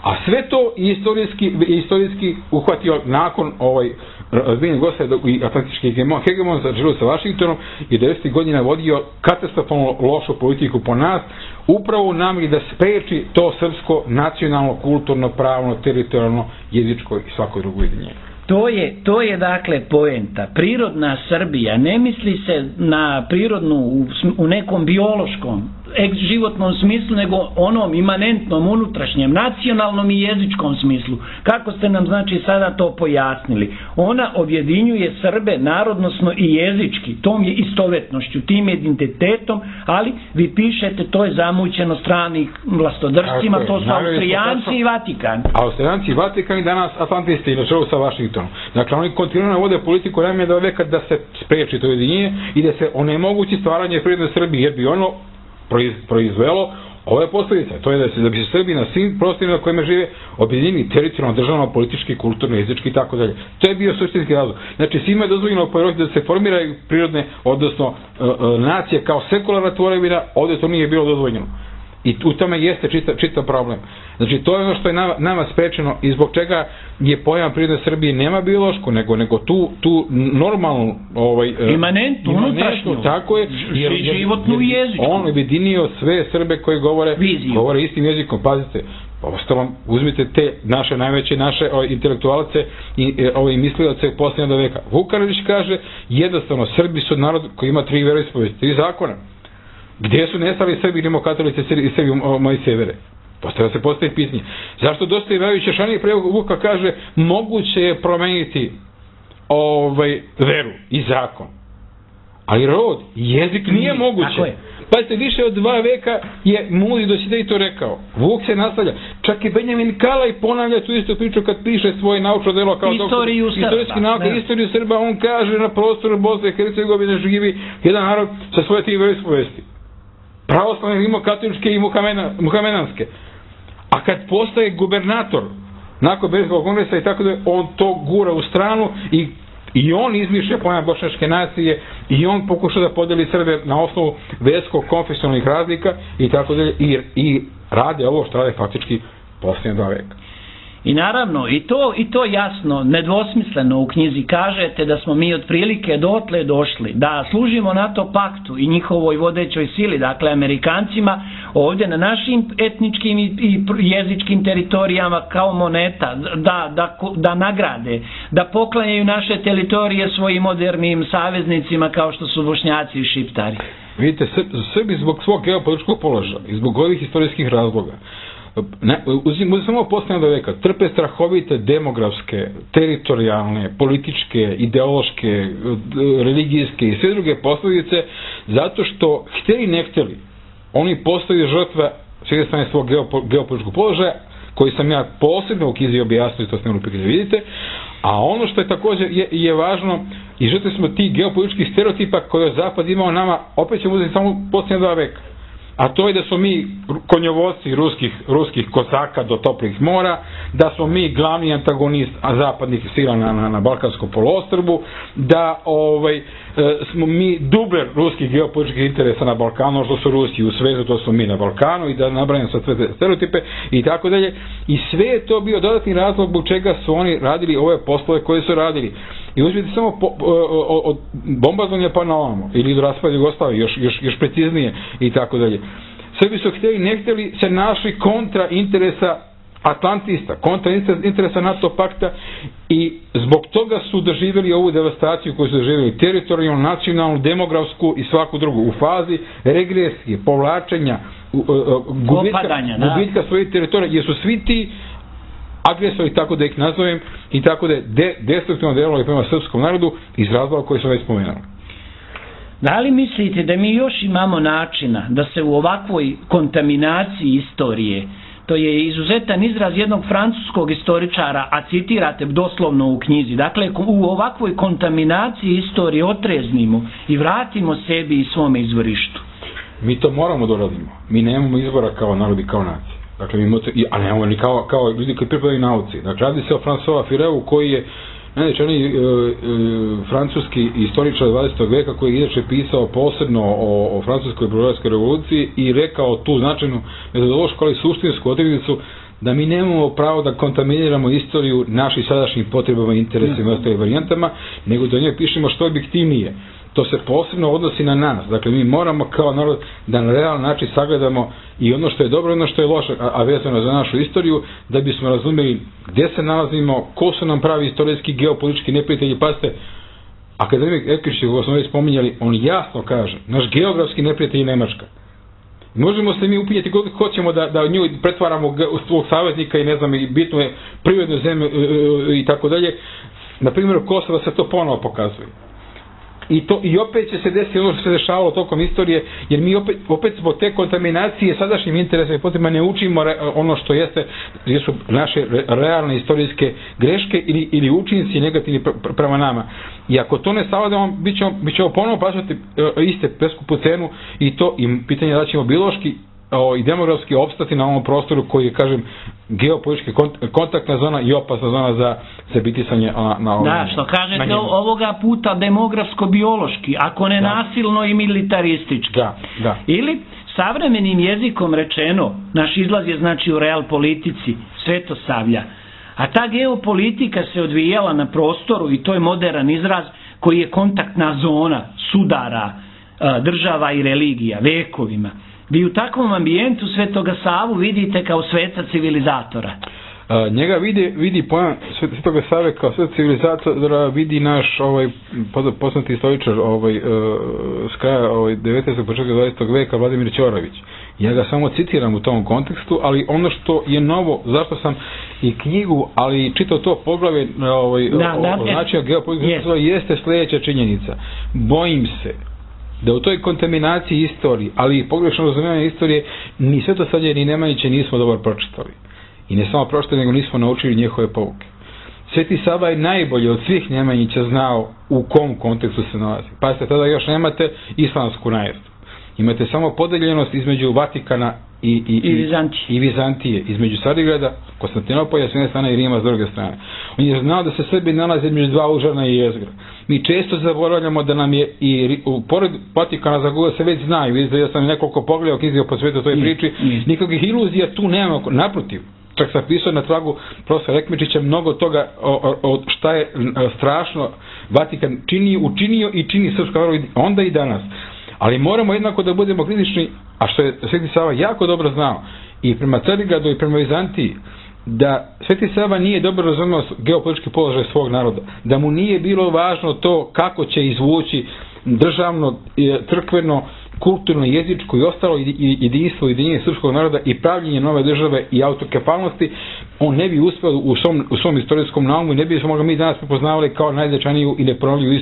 A sve to istorijski, istorijski uhvatio nakon ovaj razbijenja Gosa i atlantički hegemon, hegemon za Džilu sa Vašingtonom i devedesetih godina vodio katastrofalno lošu politiku po nas, upravo u namjeri da spreči to srpsko nacionalno, kulturno, pravno, teritorijalno, jezičko i svako drugo ujedinjenje. To je, to je dakle poenta. Prirodna Srbija ne misli se na prirodnu u, u nekom biološkom životnom smislu, nego onom imanentnom, unutrašnjem, nacionalnom i jezičkom smislu. Kako ste nam znači sada to pojasnili? Ona objedinjuje Srbe narodnosno i jezički, tom je istovetnošću, tim identitetom, ali vi pišete to je zamućeno stranih vlastodržcima, to su Austrijanci i Vatikan. Austrijanci i Vatikan i danas Atlantisti na čelu sa Vašingtonom. Dakle, oni kontinuirano vode politiku najmanje veka da se spreči to ujedinjenje i da se onemogući stvaranje prirodne Srbije, jer bi ono proizvelo ove posljedice. To je da se da bi se Srbi na svim prostorima na kojima žive objedinili teritorijalno, državno, politički, kulturno, jezički i tako dalje. To je bio suštinski razlog. Znači, svima je dozvoljeno po Evropi da se formiraju prirodne, odnosno uh, uh, nacije kao sekularna tvorevina, ovdje to nije bilo dozvoljeno. I u tome jeste čita, čita problem. Znači, to je ono što je nama, nama sprečeno i zbog čega je pojam prirodne Srbije nema biološku, nego, nego tu, tu normalnu ovaj, imanentnu, unutrašnju, tako je, jer, jer, životnu i jezičku. On objedinio sve Srbe koji govore, govore istim jezikom. Pazite, ostalom, uzmite te naše najveće, naše o, intelektualce i ove mislioce posljednjeg veka. Vukanović kaže, jednostavno, Srbi su narod koji ima tri veroispovesti, tri zakona. Gdje su nestali Srbi, rimokatolici i Srbi moji severe? Postavlja se postaje pitanje. Zašto dosta Ivajović Šešani pre Vuka kaže moguće je promeniti ovaj, veru i zakon. Ali rod, jezik nije moguće. Pazite, više od dva veka je Mudi Dositej to rekao. Vuk se nastavlja. Čak i Benjamin Kalaj ponavlja tu istu priču kad piše svoje naučno delo kao istoriju doktor, istorijski nauka, istoriju Srba. On kaže na prostoru Bosne i Hercegovine živi jedan narod sa svoje tri veroispovesti. Pravoslavne, rimokatoličke i muhamenanske. A kad postaje gubernator nakon Berlinskog kongresa i tako da on to gura u stranu i, i on izmišlja pojam bošnjačke nacije i on pokuša da podeli Srbe na osnovu verskog konfesionalnih razlika i tako dalje i, i rade ovo što rade faktički posljednje dva veka. I naravno, i to, i to jasno, nedvosmisleno u knjizi kažete da smo mi otprilike dotle došli, da služimo NATO paktu i njihovoj vodećoj sili, dakle Amerikancima, ovdje na našim etničkim i, i jezičkim teritorijama kao moneta, da, da, da nagrade, da poklanjaju naše teritorije svojim modernim saveznicima kao što su Bošnjaci i Šiptari. Vidite, Srbi zbog svog geopolitičkog položaja i zbog ovih istorijskih razloga Ne, uzim, uzim samo posljednjeg veka, trpe strahovite demografske, teritorijalne, političke, ideološke, religijske i sve druge posljedice, zato što htjeli ne htjeli, oni postaju žrtva s jedne strane svog geopo, geopolitičkog položaja, koji sam ja posebno u knjizi objasnio, to ste upike da vidite, a ono što je također je, je važno, i žrtve smo ti geopolitičkih stereotipa koje je Zapad imao nama, opet ćemo uzeti samo posljednje dva veka. a to je da smo mi konjovodci ruskih, ruskih kosaka do toplih mora, da smo mi glavni antagonist zapadnih sila na, na, na Balkanskom poluostrvu, da ovaj, smo mi dubler ruskih geopolitičkih interesa na Balkanu, što su Rusi u svetu, to smo mi na Balkanu, i da nabrajam sad sve te stereotipe i tako dalje. I sve je to bio dodatni razlog zbog čega su oni radili ove poslove koje su radili. I uzmite samo po, od bombardovanja pa na ovamo, ili do raspada Jugoslavije, još, još, još preciznije i tako dalje. Srbi su htjeli, ne htjeli, se našli kontra interesa Atlantista, kontra interesa NATO pakta, i zbog toga su doživjeli ovu devastaciju koju su doživjeli, teritorijalnu, nacionalnu, demografsku i svaku drugu, u fazi regresije, povlačenja, gubitka, gubitka svojih teritorija, jer su svi ti agresori, tako da ih nazovem, i tako da je de, destruktivno djelovali prema srpskom narodu iz razloga koji sam već spomenuli. Da li mislite da mi još imamo načina da se u ovakvoj kontaminaciji istorije, to je izuzetan izraz jednog francuskog istoričara, a citirate doslovno u knjizi, dakle u ovakvoj kontaminaciji istorije otreznimo i vratimo sebi i svome izvorištu? Mi to moramo da radimo. Mi nemamo izbora kao narod i kao nacija. Dakle, mi moto, a nemamo ni kao, kao ljudi koji pripadaju nauci. Dakle, radi se o François Fireu, koji je najvećaniji e, e, francuski istoričar dvadesetog veka, koji je inače pisao posebno o, o francuskoj bolševičkoj revoluciji i rekao tu značajnu metodološku, ali suštinsku odrednicu da mi nemamo pravo da kontaminiramo istoriju naših sadašnjih potrebama, interesima i ostalim varijantama, nego da njoj pišemo što objektivnije. To se posebno odnosi na nas. Dakle, mi moramo kao narod da na realan način sagledamo i ono što je dobro i ono što je loše, a, a vezano za našu istoriju, da bismo razumeli gdje se nalazimo, ko su nam pravi istorijski, geopolitički neprijatelji. Pazite, akademik Ekrić, kako smo već spominjali, on jasno kaže, naš geografski neprijatelj je Nemačka. Možemo se mi upinjati koliko hoćemo da, da nju pretvaramo u svog saveznika i ne znam, i bitno je prirodnu zemlju i tako dalje. Na primjer, Kosova se to ponovo pokazuje. I, to, I opet će se desiti ono što se dešavalo tokom istorije, jer mi opet, opet zbog te kontaminacije sadašnjim interesima i potrebama ne učimo re, ono što jeste, jer su naše re, realne istorijske greške ili, ili učinci negativni pr, pr, prema nama. I ako to ne savladamo, bit ćemo, bit ćemo ponovno plaćati e, iste preskupu cenu, i to i pitanje da ćemo biološki o, i demografski opstati na ovom prostoru koji je, kažem, geopolitički kont, kontaktna zona i opasna zona za se bitisanje na, na ovom. Da, što kažete ovoga puta demografsko-biološki, ako ne da. Nasilno i militaristički. Da, da. Ili savremenim jezikom rečeno, naš izlaz je znači u real politici, svetosavlja. A ta geopolitika se odvijala na prostoru, i to je moderan izraz, koji je kontaktna zona sudara država i religija, vekovima. Vi u takvom ambijentu Svetoga Savu vidite kao sveca civilizatora. A, njega vidi, vidi pojam Svetoga Save kao sveca civilizatora, vidi naš ovaj, poznati istoričar ovaj, uh, s kraja ovaj, devetnaestog početka dvadesetog veka, Vladimir Ćorović. Ja ga samo citiram u tom kontekstu, ali ono što je novo, zašto sam i knjigu, ali čitao to poglavlje ovaj, da, o, da, o značaju geopolitike, yes. jeste sljedeća činjenica. Bojim se da u toj kontaminaciji istoriji, ali i pogrešno razumijevanje istorije, ni Svetosavlje ni Nemanjiće nismo dobro pročitali. I ne samo pročitali, nego nismo naučili njihove pouke. Sveti Sava je najbolje od svih Nemanjića znao u kom kontekstu se nalazi. Pazite, tada još nemate islamsku najezdu. Imate samo podeljenost između Vatikana i, i, I, Vizantije. i Vizantije, između Carigrada, Konstantinopolja s jedne strane i Rima s druge strane. On je znao da se Srbi nalaze između dva užarna i jezgra. Mi često zaboravljamo da nam je i u, pored Vatikana, za koga se već znaju, vidite, ja sam nekoliko pogledao knjizio po svijetu toj priči, nikakvih iluzija tu nema, naprotiv. Čak sam pisao na tragu profesora Ekmečića mnogo toga o, o, o šta je strašno Vatikan činio, učinio i čini srpska vjera onda i danas. Ali moramo jednako da budemo kritični, a što je Sveti Sava jako dobro znao, i prema Carigradu i prema Vizantiji, da Sveti Sava nije dobro razumio geopolitički položaj svog naroda, da mu nije bilo važno to kako će izvući državno, crkveno, kulturno, jezičko i ostalo jedinstvo i jedinjenje srpskog naroda i pravljenje nove države i autokefalnosti, on ne bi uspio u svom, u svom istorijskom naumu i ne bi smo ga mi danas prepoznavali kao najznačajniju i nepromoljivu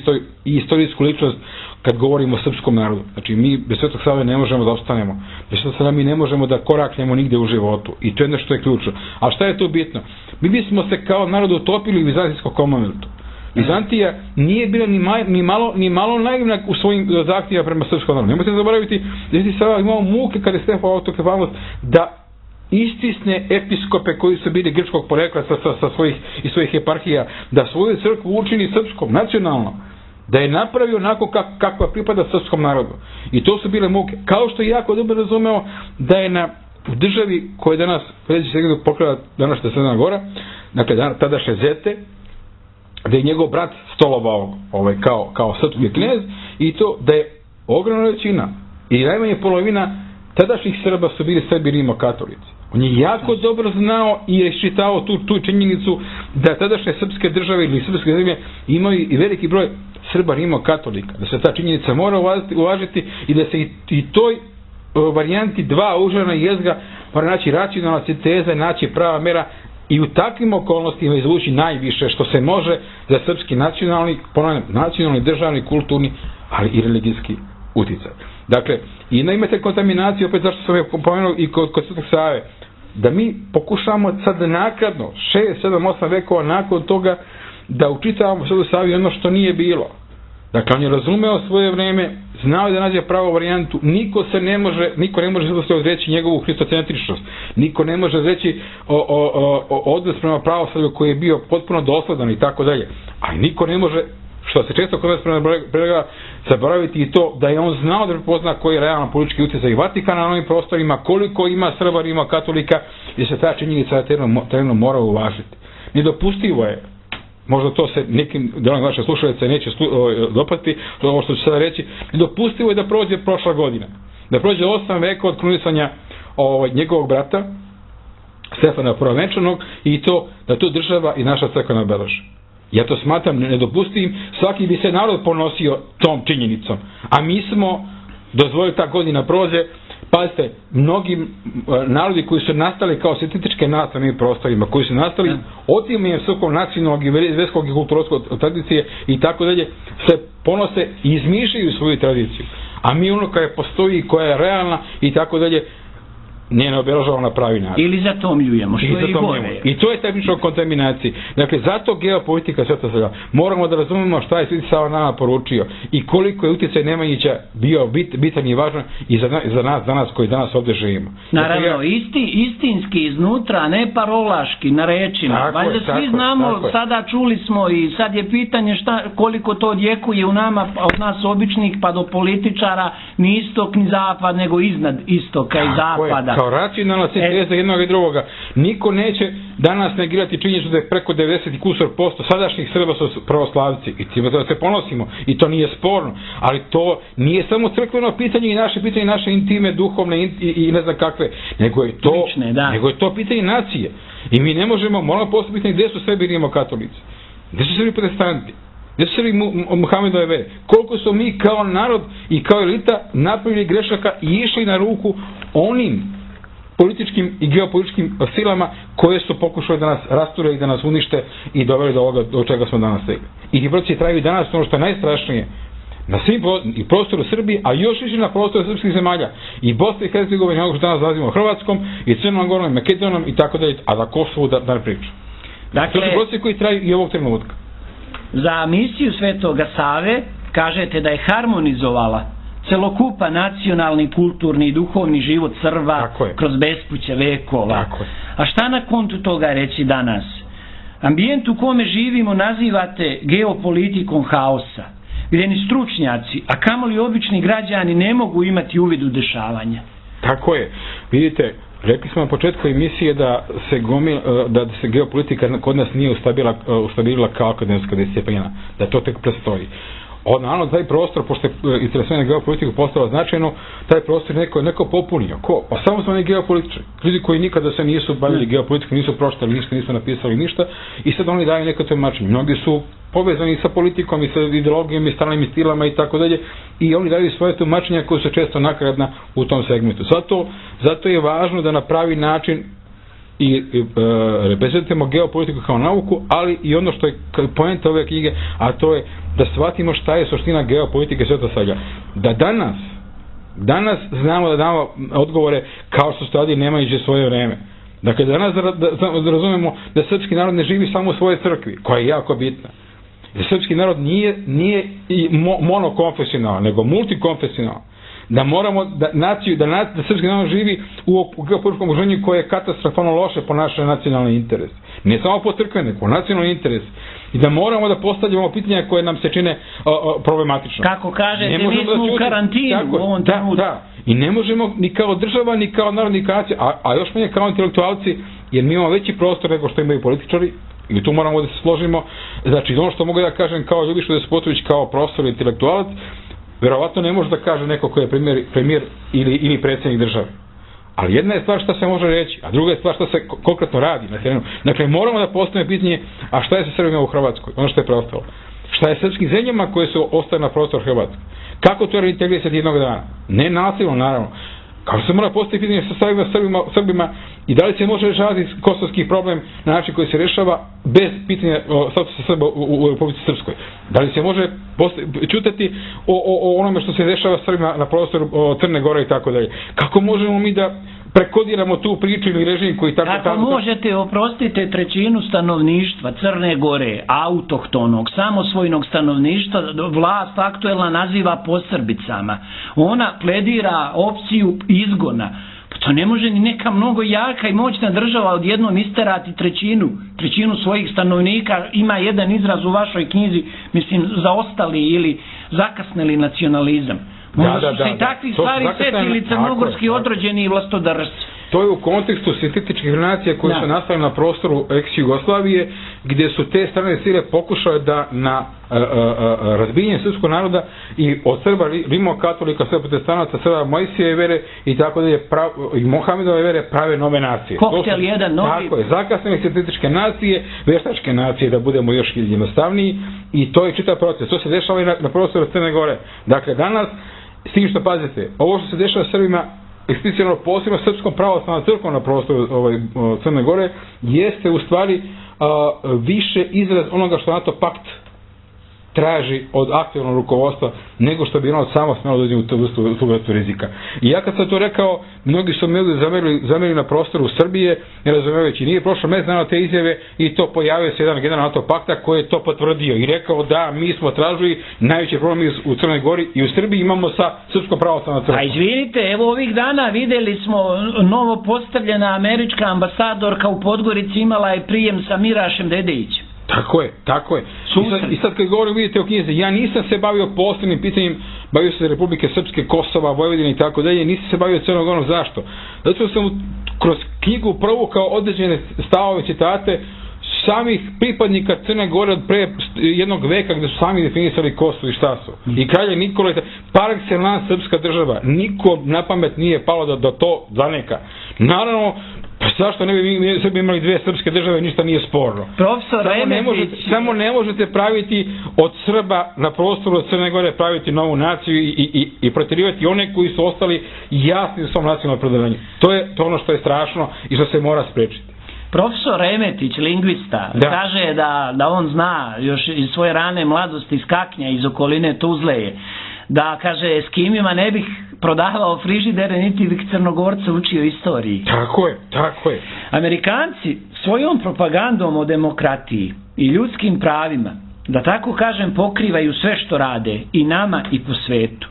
istorijsku ličnost kad govorimo o srpskom narodu. Znači, mi bez Svetog Save ne možemo da ostanemo. Bez Svetog Save mi ne možemo da koraknemo nigde u životu. I to je nešto što je ključno. A šta je tu bitno? Mi bismo se kao narod utopili u Vizantijskom Commonwealthu. Vizantija nije bila ni, maj, ni, malo, ni malo naivna u svojim zahtjevima prema srpskom narodu. Nemojte zaboraviti da je sada imao muke kada je Stefan autokefanost da istisne episkope koji su bili grčkog porekla sa, sa, sa svojih, i svojih eparhija, da svoju crkvu učini srpskom, nacionalno, da je napravio onako kak, kakva pripada srpskom narodu. I to su bile muke. Kao što je jako dobro razumeo da je na u državi koja danas, pređe se gdje pokrila današnja Crna Gora, dakle tadašnje Zete, da je njegov brat stolovao ovaj, kao, kao srpski knez, i to da je ogromna većina i najmanje polovina tadašnjih Srba su bili Srbi rimokatolici. On je jako dobro znao i je iščitao tu, tu činjenicu da tadašnje srpske države ili srpske zemlje imaju i veliki broj Srba rimokatolika, da se ta činjenica mora uvažiti, uvažiti i da se i, i toj varijanti dva užarna jezga mora naći racionalna sinteza, naći prava mera i u takvim okolnostima izvući najviše što se može za srpski nacionalni, ponavljam, nacionalni, državni, kulturni, ali i religijski uticaj. Dakle, i da imate kontaminaciju, opet zašto sam je pomenuo i kod, kod Svetog Save, da mi pokušamo sad nakladno, šest, sedam, osam vekova nakon toga, da učitavamo Svetu Savi ono što nije bilo. Dakle, on je razumeo svoje vreme, znao je da nađe pravu varijantu, niko se ne može, niko ne može se odreći njegovu hristocentričnost, niko ne može reći o, o, o, o odnos prema pravoslavlju koji je bio potpuno dosledan i tako dalje. Ali niko ne može, što se često kod nas prema zaboraviti i to da je on znao da prepozna koji je realno politički utjecaj Vatikana na ovim prostorima, koliko ima Srba, Rima, katolika, i se ta činjenica tereno mora uvažiti. Nedopustivo je, možda to se nekim delom vaše slušalice neće slu, o, dopati, ovo što ću sada reći, nedopustivo je da prođe prošla godina, da prođe osam veka od krunisanja ovaj, njegovog brata, Stefana Prvovenčanog, i to da to država i naša crkva nabeleži. Ja to smatram nedopustivim, svaki bi se narod ponosio tom činjenicom, a mi smo dozvolili ta godina prođe. Pazite, mnogi narodi koji su nastali kao sintetičke nacije na ovim prostorima, koji su nastali otimanjem svog nacionalnog i verskog i kulturološkog tradicije i tako dalje, se ponose i izmišljaju svoju tradiciju. A mi ono koja postoji, koja je realna i tako dalje, nije ne obeležavamo na pravi način. Ili zatomljujemo, što je i gore. I to je tehnička kontaminacija. Dakle, zato geopolitika Sveta Sava. Moramo da razumemo šta je Sveti Sava nama poručio i koliko je utjecaj Nemanjića bio bit, bitan i važan i za, za nas danas koji danas ovdje živimo. Naravno, dakle, ja... isti, istinski iznutra, ne parolaški, na rečima. Valjda svi je, znamo, sada čuli smo i sad je pitanje šta, koliko to odjekuje u nama, od nas običnih pa do političara, ni istok ni zapad, nego iznad istoka i zapada. Kao racionalna sinteza e... jednog i drugoga. Niko neće danas negirati činjenicu da je preko devedeset kusur posto sadašnjih Srba su pravoslavci i time da se ponosimo i to nije sporno, ali to nije samo crkveno pitanje i naše pitanje, naše intime, duhovne i, i, i ne znam kakve, nego je to, Lične, da. nego je to pitanje nacije. I mi ne možemo, moramo postaviti gdje su Srbi rimokatolici, gdje su Srbi protestanti, gdje su Srbi Muhamedove vere, koliko su mi kao narod i kao elita napravili grešaka i išli na ruku onim političkim i geopolitičkim silama koje su pokušali da nas rasture i da nas unište i doveli do ovoga do čega smo danas stigli. I ti procesi traju danas, ono što je najstrašnije, na svim i prostoru Srbije, a još više na prostoru srpskih zemalja, i Bosne i Hercegovine, ono što danas nazivamo Hrvatskom, i Crnom Gorom, i Makedonom i tako dalje, a za Kosovu da, da ne pričam. Dakle, to su procesi koji traju i ovog trenutka. Za misiju Svetoga Save kažete da je harmonizovala celokupa nacionalni, kulturni i duhovni život Srba kroz bespuće vekova. A šta na kontu toga reći danas? Ambijent u kome živimo nazivate geopolitikom haosa, gdje ni stručnjaci, a kamoli obični građani ne mogu imati uvid u dešavanja. Tako je. Vidite, rekli smo na početku emisije da se, gomil, da se geopolitika kod nas nije ustabilila kao akademska disciplina, da to tek prestoji. Od naravno taj prostor, pošto je interesovanje geopolitiku postalo značajno, taj prostor neko, neko popunio. Ko? Pa samo smo oni geopolitičari. Ljudi koji nikada se nisu bavili geopolitikom, nisu pročitali ništa, nisu napisali ništa i sad oni daju neko tumačenje. Mnogi su povezani sa politikom i sa ideologijom i stranim stilama i tako dalje i oni daju svoje tumačenja koje su često nakradna u tom segmentu. Zato, zato je važno da na pravi način i e, reprezentujemo geopolitiku kao nauku, ali i ono što je poenta ove knjige, a to je da shvatimo šta je suština geopolitike Sveta Savlja. Da danas, danas znamo da damo odgovore kao što stvari nemajući svoje vreme. Dakle, danas da, da, da razumemo da srpski narod ne živi samo u svojoj crkvi, koja je jako bitna. Jer srpski narod nije, nije i mo, monokonfesionalan, nego multikonfesionalan. Da moramo, da, naciju, da, da, da srpski narod živi u, u geopolitičkom okruženju koje je katastrofalno loše po naše nacionalne interese. Ne samo po crkvene, po nacionalni interes. I da moramo da postavljamo pitanja koje nam se čine o, o, problematično. Kako kažete, mi smo u karantinu tako, u ovom trenutku. Da, da. I ne možemo ni kao država, ni kao narod, ni kao nacija, a, a još manje kao intelektualci, jer mi imamo veći prostor nego što imaju političari, i tu moramo da se složimo. Znači, ono što mogu da kažem kao Ljubiša Despotović, kao profesor i intelektualac, verovatno ne može da kaže neko ko je premijer, premijer ili, ili predsjednik države. Ali jedna je stvar šta se može reći, a druga je stvar šta se konkretno radi na terenu. Dakle, moramo da postavimo pitanje, a šta je sa Srbima u Hrvatskoj, ono što je preostalo. Šta je srpskim zemljama koje su ostale na prostor Hrvatske? Kako to reintegrisati jednog dana? Ne nasilno, naravno. Kako se mora postaviti pitanje sa Srbima, Srbima, Srbima i da li se može rešavati kosovski problem na način koji se rešava bez pitanja statusa Srba u, u, u Republici Srpskoj? Da li se može čutati o, o, o onome što se dešava Srbima na prostoru o, Crne Gore i tako dalje? Kako možemo mi da prekodiramo tu priču ili režim koji tako... Kako tako, možete, oprostite, trećinu stanovništva Crne Gore, autohtonog, samosvojnog stanovništva, vlast aktuelna naziva posrbicama. Ona pledira opciju izgona. Pa to ne može ni neka mnogo jaka i moćna država odjednom isterati trećinu, trećinu svojih stanovnika. Ima jedan izraz u vašoj knjizi, mislim, zaostali ili zakasnili nacionalizam. Možda da, da, su se da, i takvih da. stvari setili crnogorski odrođeni i vlastodržci. To je u kontekstu sintetičkih nacija koje da. su nastale na prostoru ex-Jugoslavije, gdje su te strane sile pokušale da na a, a, a, razbijenje srpskog naroda i od Srba, rimokatolika, Srba protestanaca, Srba Mojsijeve vere i tako da je prav, i Mohamedove vere prave nove nacije. Koktel jedan novi. Tako je, zakasnene sintetičke nacije, veštačke nacije, da budemo još jednostavniji, i to je čitav proces. To se dešava i na, na prostoru Crne Gore. Dakle, danas, s tim što pazite, ovo što se dešava Srbima, eksplicitno posebno srpskom pravoslavnom crkvom na prostoru ovaj, Crne Gore, jeste u stvari a, više izraz onoga što NATO pakt traži od aktivnog rukovodstva, nego što bi ono samo smjelo dođe u tu vrstu, tu vrstu rizika. I ja kad sam to rekao, mnogi su me zamerili, zamerili na prostoru Srbije, ne razumevajući, nije prošlo mesec dana te izjave i to pojavio se jedan general NATO pakta koji je to potvrdio i rekao da mi smo tražili najveći problem u Crnoj Gori i u Srbiji imamo sa Srpskom pravoslavnom crkvom. A izvinite, evo ovih dana videli smo novo postavljena američka ambasadorka u Podgorici, imala je prijem sa Mirašem Dedejićem. Tako je, tako je. I sad, i sad kad govorim, vidite o knjizi, ja nisam se bavio posebnim pitanjem, bavio se Republike Srpske, Kosova, Vojvodine i tako dalje, nisam se bavio Crnom Gorom. Zašto? Zato sam kroz knjigu provukao određene stavove, citate samih pripadnika Crne Gore od pre jednog veka gdje su sami definisali ko su i šta su. I kralje Nikola, par excellence srpska država, niko na pamet nije palo da, da to zaneka. Naravno, pa zašto ne bi mi Srbi imali dvije srpske države, ništa nije sporno. Profesor samo ne, možete, samo ne možete praviti od Srba na prostoru od Crne Gore, praviti novu naciju i, i, i, i protirivati one koji su ostali jasni u svom nacionalnom predavanju. To je to ono što je strašno i što se mora spriječiti. Profesor Remetić, lingvista, da. kaže da, da on zna još iz svoje rane mladosti iz Kaknja, iz okoline Tuzleje, da, kaže, s kimima ne bih prodavao frižidere, niti bih Crnogorca učio istoriji. Tako je, tako je. Amerikanci svojom propagandom o demokratiji i ljudskim pravima, da tako kažem, pokrivaju sve što rade, i nama i po svetu.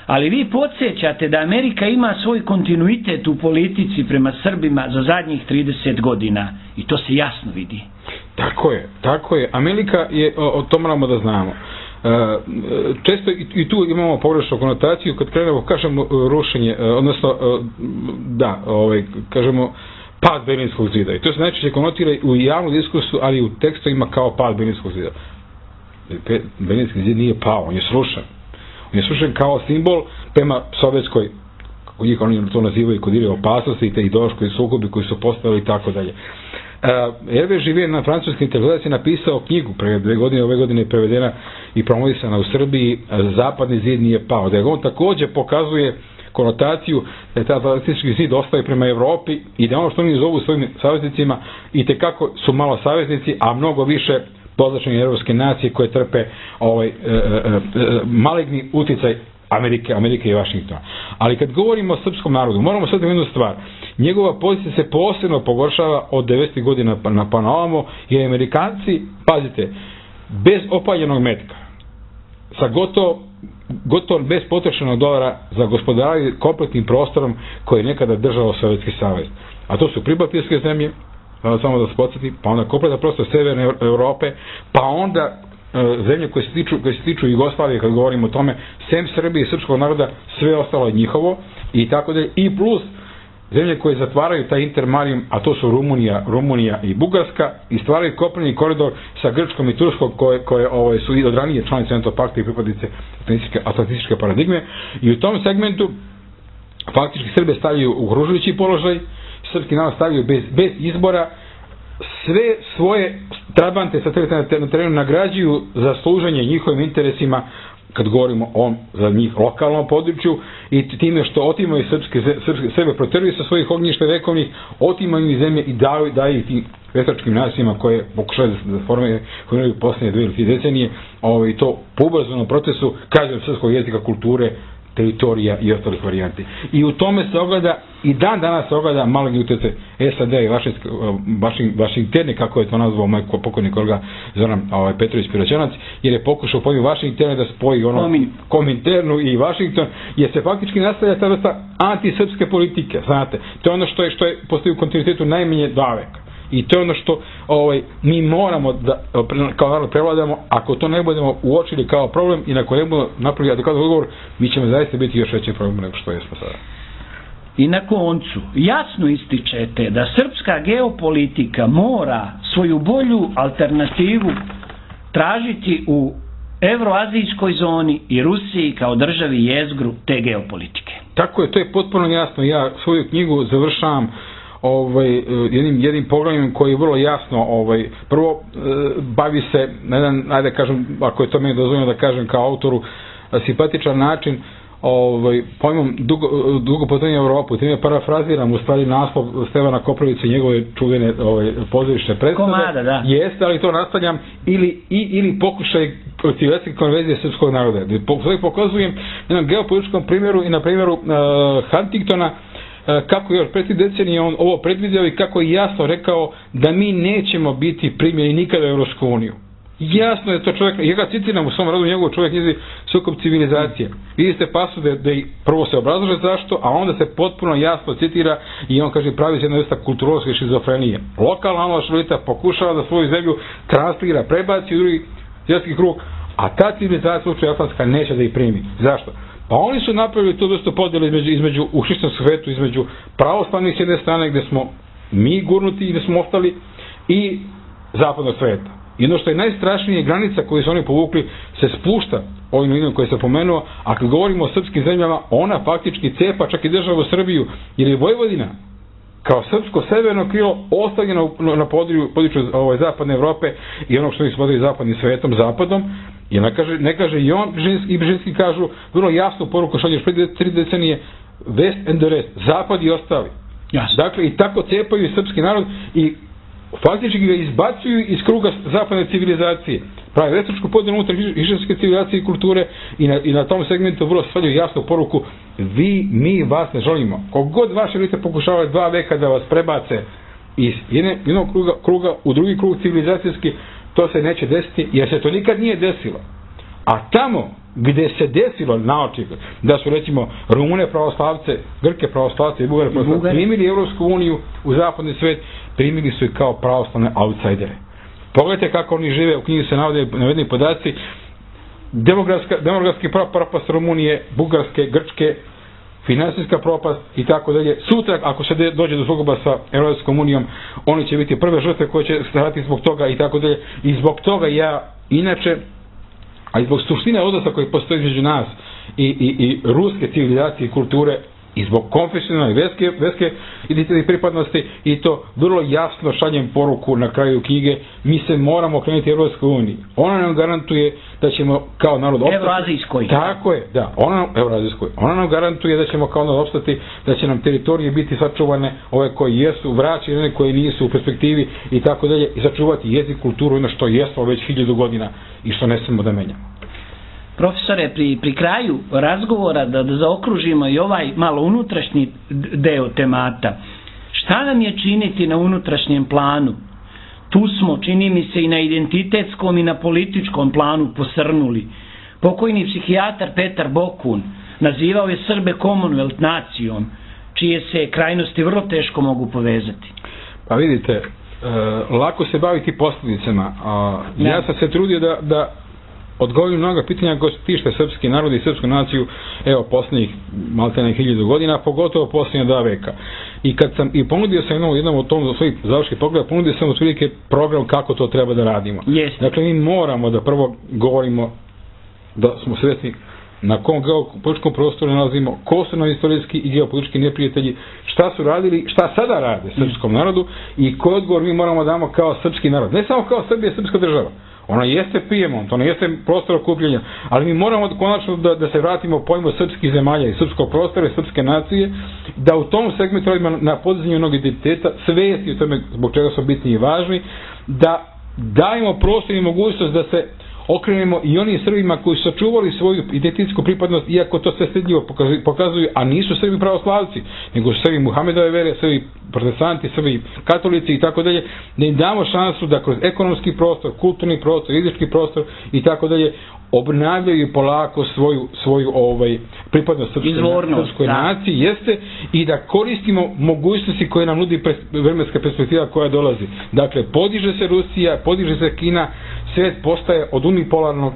Ali vi podsjećate da Amerika ima svoj kontinuitet u politici prema Srbima za zadnjih trideset godina, i to se jasno vidi. Tako je, tako je. Amerika je, o, o to moramo da znamo. Često i tu imamo pogrešnu konotaciju kad krenemo, kažemo, rušenje, odnosno, da, ovaj, kažemo, pad Berlinskog zida. I to se najčešće konotira u javnu diskursu, ali u tekstovima kao pad Berlinskog zida. Berlinski zid nije pao, on je srušen. On je srušen kao simbol prema sovjetskoj, kako njih oni to nazivaju, kodire opasnosti i te ideološkoj sukobi koji su postavili i tako dalje. Hervé Živier na francuski intelektualac je napisao knjigu pre dve godine, ove godine je prevedena i promovisana u Srbiji, Zapadni zid nije pao. Da on također pokazuje konotaciju da je ta atlantički zid ostaje prema Evropi i da ono što oni zovu svojim saveznicima i tekako su malo saveznici, a mnogo više pozlačene evropske nacije koje trpe ovaj, e, e, e, maligni uticaj Amerike, Amerike i Vašingtona. Ali kad govorimo o srpskom narodu, moramo sad jednu stvar. Njegova pozicija se posebno pogoršava od devedesetih godina na pa na ovamo, jer Amerikanci, pazite, bez opaljenog metka, sa gotovo gotovo bez potrošenog dolara za gospodaranje kompletnim prostorom koji je nekada držao Sovjetski savez. A to su pribaltijske zemlje, samo da se podsjeti, pa onda kompletan prostor Severne Europe, pa onda e, zemlje koje se tiču, koje se tiču Jugoslavije, kad govorimo o tome, sem Srbije i srpskog naroda, sve ostalo je njihovo, i tako dalje, i plus zemlje koje zatvaraju taj intermarijum, a to su Rumunija, Rumunija i Bugarska, i stvaraju kopneni koridor sa Grčkom i Turskom, koje, koje ovaj, su i od ranije članice NATO pakta i pripadnice atlantističke paradigme, i u tom segmentu faktički Srbe stavljaju u okružujući položaj, srpski narod stavljaju bez, bez izbora, sve svoje trabante sa na terenu nagrađuju za služenje njihovim interesima, kad govorimo o za njih lokalnom području, i time što otimaju srpske, srpske sebe proteruju sa svojih ognjišta vekovnih, otimaju i zemlje i daju, daju tim veštačkim nacijama koje pokušaju da, da formiraju posljednje dve ili tri decenije, ovaj, i to po ubrzanom procesu, kažem, srpskog jezika, kulture, teritorija i ostalih varijanti. I u tome se ogleda, i dan danas se ogleda malog utjecaj S A D i Vašingtone, kako je to nazvao moj pokojni kolega Zoran ovaj, Petrović Piroćanac, jer je pokušao pojmi Vašingtone da spoji ono Kominternu i Vašington, jer se faktički nastavlja ta vrsta antisrpske politike, znate. To je ono što je, što je postoji u kontinuitetu najmanje dva veka. I to je ono što ovaj, mi moramo da kao narod prevladamo. Ako to ne budemo uočili kao problem i ako ne budemo napravili adekvatan odgovor, mi ćemo zaista biti još veći problem nego što jesmo sada. I na koncu, jasno ističete da srpska geopolitika mora svoju bolju alternativu tražiti u evroazijskoj zoni i Rusiji kao državi jezgru te geopolitike. Tako je, to je potpuno jasno. Ja svoju knjigu završavam ovaj, jednim, jednim poglavljem koji je vrlo jasno, ovaj, prvo bavi se na jedan, ajde kažem, ako je to meni dozvoljeno da kažem kao autoru, simpatičan način, ovaj, pojmom dugo, dugo putovanje u Evropu. Time parafraziram u stvari naslov Stevana Koprivice i njegove čuvene ovaj, pozorišne predstave. Komada, da. Jeste, ali to nastavljam, ili, i, ili pokušaj civilizacijske konverzije srpskog naroda. Sve pokazujem na jednom geopolitičkom primjeru i na primjeru uh, Huntingtona, kako je još pre tri decenije on ovo predvidio i kako je jasno rekao da mi nećemo biti primljeni nikada u Evropsku uniju. Jasno je to čovjek, ja ga citiram u svom radu njegovu čovjek knjizi Sukob civilizacije. Vidite pasu da, da prvo se obrazlaže zašto, a onda se potpuno jasno citira i on kaže pravi se jedna vrsta kulturološke šizofrenije. Lokalna analošvelita pokušava da svoju zemlju translira, prebaci u drugi svjetski krug, a ta civilizacija slučaj atlantska neće da ih primi. Zašto? Pa oni su napravili tu vrstu podjele između, između u hrišćanskom svetu, između pravoslavnih s jedne strane gdje smo mi gurnuti i gdje smo ostali, i zapadnog sveta. I ono što je najstrašnije, granica koju su oni povukli se spušta ovim linijem koje sam pomenuo, a kad govorimo o srpskim zemljama, ona faktički cepa čak i državu Srbiju, jer je Vojvodina kao srpsko severno krilo ostavljeno na području, području ovaj, zapadne Evrope i onog što mi smatraju zapadnim svetom, zapadom, i ne kaže, ne kaže i on i Bržinski kažu vrlo jasnu poruku što još prije tri decenije, West and the rest, zapad i ostali. Jasno. Dakle, i tako cepaju srpski narod i faktički ga izbacuju iz kruga zapadne civilizacije. Pravi vestačku podjelu unutar hrišćanske civilizacije i kulture i na, i na tom segmentu vrlo stavljaju jasnu poruku: vi, mi vas ne želimo. Kogod vaše elite pokušavaju dva veka da vas prebace iz jedne, jednog kruga, kruga u drugi krug civilizacijski, to se neće desiti, jer se to nikad nije desilo. A tamo gdje se desilo naoči da su recimo Rumune pravoslavce, Grke pravoslavce i Bugare pravoslavce primili Evropsku uniju u zapadni svet, primili su i kao pravoslavne outsidere. Pogledajte kako oni žive, u knjizi se navode navedeni podaci, demografska, demografski propast Rumunije, Bugarske, Grčke, finansijska propast i tako dalje. Sutra, ako se dođe do sukoba sa Evropskom unijom, oni će biti prve žrtve koje će stvarati zbog toga i tako dalje. I zbog toga ja, inače, a i zbog suštine odnosa koji postoji između nas i, i, i ruske civilizacije i kulture, i zbog konfesionalne veske, veske identitete pripadnosti, i to vrlo jasno šaljem poruku na kraju knjige: mi se moramo krenuti Evropskoj uniji. Ona nam garantuje da ćemo kao narod opstati. Evroazijskoj. Tako je, da. Ona, Evroazijskoj. Ona nam garantuje da ćemo kao narod opstati, da će nam teritorije biti sačuvane, ove koji jesu, vraćene, one koji nisu u perspektivi i tako dalje, i sačuvati jezik, kulturu, ono što jesmo već hiljadu godina i što ne smemo da menjamo. Profesore, pri, pri kraju razgovora da, da zaokružimo i ovaj malo unutrašnji deo temata, šta nam je činiti na unutrašnjem planu Tu smo, čini mi se, i na identitetskom i na političkom planu posrnuli. Pokojni psihijatar Petar Bokun nazivao je Srbe Commonwealth nacijom, čije se krajnosti vrlo teško mogu povezati. Pa vidite, e, lako se baviti posljedicama. A, ja sam se trudio da, da odgovorim mnoga pitanja koje tište srpski narod i srpsku naciju, evo, posljednjih maltene hiljadu godina, pogotovo posljednja dva veka. I kad sam, i ponudio sam jednom, jednom od tom svojih završkih pogleda, ponudio sam otprilike program kako to treba da radimo. Yes. Dakle, mi moramo da prvo govorimo da smo svjesni na kom geopolitičkom prostoru nalazimo, ko su nam istorijski i geopolitički neprijatelji, šta su radili, šta sada rade srpskom narodu i koji odgovor mi moramo damo kao srpski narod. Ne samo kao Srbija, srpska država. Ona jeste Pijemont, ona jeste prostor okupljenja, ali mi moramo konačno da, da se vratimo pojmu srpskih zemalja i srpskog prostora i srpske nacije, da u tom segmentu radimo na podizanju jednog identiteta, svijesti o tome zbog čega su bitni i važni, da dajemo prostor i mogućnost da se okrenemo i onim Srbima koji su sačuvali svoju identitetsku pripadnost, iako to sve stidljivo pokazuju, a nisu Srbi pravoslavci, nego su Srbi Muhamedove vere, Srbi protestanti, Srbi katolici i tako dalje, da im damo šansu da kroz ekonomski prostor, kulturni prostor, jezički prostor i tako dalje obnavljaju polako svoju, svoju ovaj, pripadnost srpskoj naciji, jeste, i da koristimo mogućnosti koje nam nudi pres, vremenska perspektiva koja dolazi. Dakle, podiže se Rusija, podiže se Kina, svijet postaje od unipolarnog,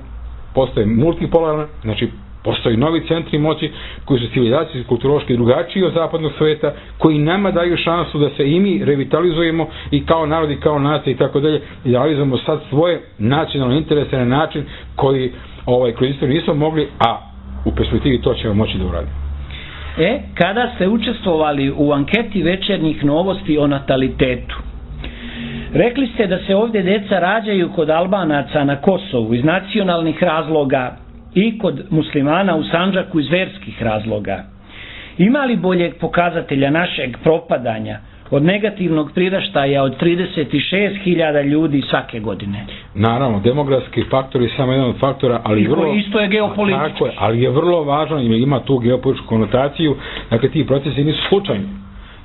postaje multipolarno, znači postoji novi centri moći koji su civilizacijski, kulturološki drugačiji od zapadnog sveta, koji nama daju šansu da se i mi revitalizujemo i kao narod i kao nacija i tako dalje, i realizujemo sad svoje nacionalne interese na način koji ovaj, kroz istoriju nismo mogli, a u perspektivi to ćemo moći da uradimo. E, kada ste učestvovali u anketi Večernjih novosti o natalitetu, rekli ste da se ovdje deca rađaju kod Albanaca na Kosovu iz nacionalnih razloga i kod muslimana u Sandžaku iz verskih razloga. Ima li boljeg pokazatelja našeg propadanja od negativnog priraštaja od trideset šest hiljada ljudi svake godine? Naravno, demografski faktor je samo jedan od faktora, ali I vrlo, isto je geopolitički. Tako je, ali je vrlo važno i ima tu geopolitičku konotaciju, dakle ti procesi nisu slučajni.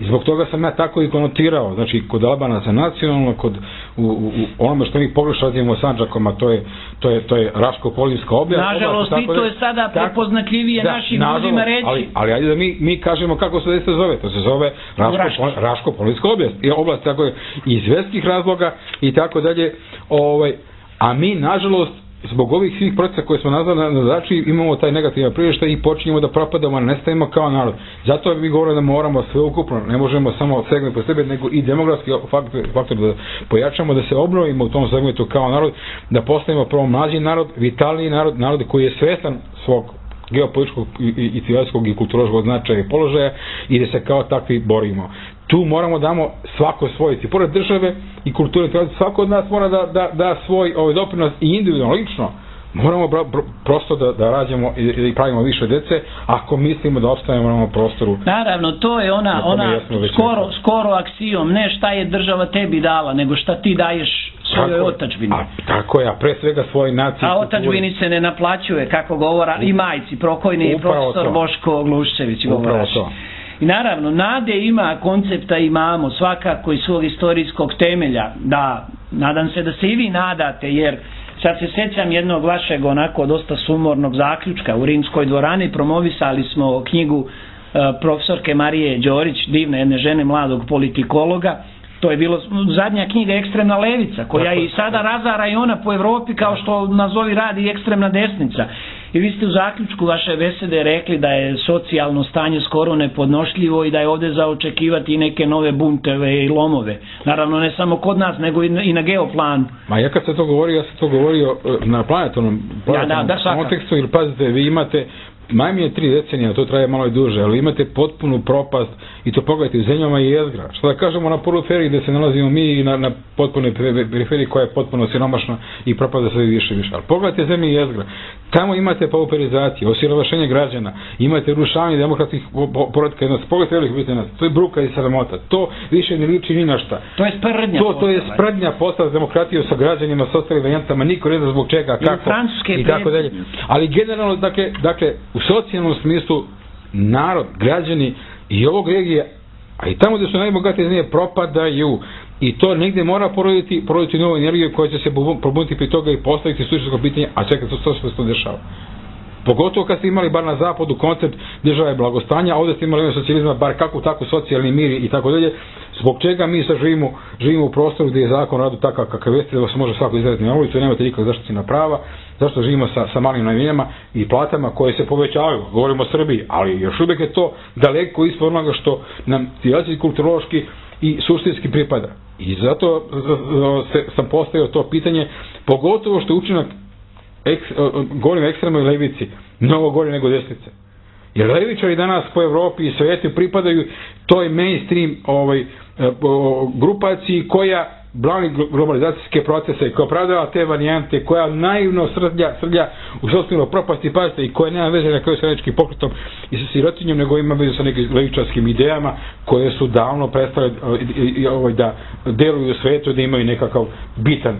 I zbog toga sam ja tako i konotirao, znači kod Albanaca nacionalno, kod u, u, u onome što mi pogrešno radimo Sandžakom, a to je, to je, to je Raško-Polinska oblast. Nažalost, i to je sada prepoznatljivije da, našim ljudima reći. Ali, ali ajde da mi, mi kažemo kako se se zove, to se zove Raško, Raško-Polinska oblast, i oblast tako je iz verskih razloga i tako dalje, ovaj, a mi nažalost zbog ovih svih procesa koje smo nazvali na začin imamo taj negativan priraštaj i počinjemo da propadamo, nestajemo kao narod. Zato mi govorimo da moramo sve ukupno, ne možemo samo segment po sebe, nego i demografski faktor, faktor da pojačamo, da se obnovimo u tom segmentu kao narod, da postavimo prvo mlađi narod, vitalniji narod, narod koji je svestan svog geopolitičkog i civilizacijskog i kulturološkog značaja i položaja i da se kao takvi borimo. Tu moramo damo svako svoj, i pored države i kulture, svako od nas mora da, da, da svoj ovaj doprinos i individualno, lično, moramo bro, bro, prosto da, da rađamo i, i pravimo više dece, ako mislimo da opstanemo na ovom prostoru. Naravno, to je ona, ona skoro, skoro aksijom, ne šta je država tebi dala, nego šta ti daješ svojoj otadžbini. A, tako je, a pre svega svoj naciji. A otadžbini se ne naplaćuje, kako govora i majci, pokojni profesor to. Boško Gluščević govoraš. I naravno, nade ima, koncepta imamo, svakako iz svog istorijskog temelja, da, nadam se da se i vi nadate, jer sad se sjećam jednog vašeg onako dosta sumornog zaključka u Rimskoj dvorani, promovisali smo knjigu uh, profesorke Marije Đorić, divne jedne žene mladog politikologa. To je bilo zadnja knjiga Ekstremna levica, koja i sada razara i ona po Evropi kao što nazovi radi ekstremna desnica. I vi ste u zaključku vaše besede rekli da je socijalno stanje skoro nepodnošljivo i da je ovdje za očekivati neke nove bunteve i lomove. Naravno ne samo kod nas, nego i na geoplanu. Ma ja kad sam to govorio, ja sam to govorio na planetarnom, planetarnom ja, da, da, kontekstu, jer pazite, vi imate najmanje tri decenija, to traje malo i duže, ali imate potpunu propast i to pogledajte u zemljama i jezgra. Što da kažemo na periferiji gdje se nalazimo mi i na, na potpunoj periferiji koja je potpuno siromašna i propada sve više i više. Ali pogledajte zemlje i jezgra. Tamo imate pauperizaciju, osiromašenje građana, imate rušavanje demokratskih poretka jednosti. Pogledajte velikih Britanaca, to je bruka i sramota. To više ne liči ni na šta. To je sprdnja to, to je sprdnja postala s demokratijom, sa građanima, sa ostalim varijantama, niko ne zna zbog čega, kako i, i tako dalje. Ali generalno, dakle, dakle, u socijalnom smislu narod, građani i ovog regije, a i tamo gdje su najbogatije zemlje propadaju. I to negdje mora poroditi, poroditi novu energiju koja će se probuditi pri toga i postaviti suštinsko pitanje, a čekaj, to, to se to dešava. Pogotovo kad ste imali bar na zapadu koncept države blagostanja, a ovdje ste imali socijalizma bar kako tako socijalni mir i tako dalje. Zbog čega mi sad živimo, živimo u prostoru gdje je zakon o radu takav kakav jeste, da se može svako izraditi na ulicu i nemate nikak zaštićena prava, zašto živimo sa, sa malim najminama i platama koje se povećavaju, govorimo o Srbiji, ali još uvijek je to daleko ispod onoga što nam civilizacijski, kulturološki i suštinski pripada. I zato se, sam postavio to pitanje, pogotovo što je učinak Eks, govorim o ekstremnoj levici, mnogo gori nego desnice. Jer levičari danas po Evropi i svijetu pripadaju toj mainstream ovaj, grupaciji koja brani globalizacijske procese, koja opravdava te varijante, koja naivno srlja, srlja u sopstvenu propast i pazite i koja nema veze na kraju sa radničkim pokretom i sa sirotinjom, nego ima veze sa nekim levičarskim idejama koje su davno prestale ovaj, da deluju u svijetu, da imaju nekakav bitan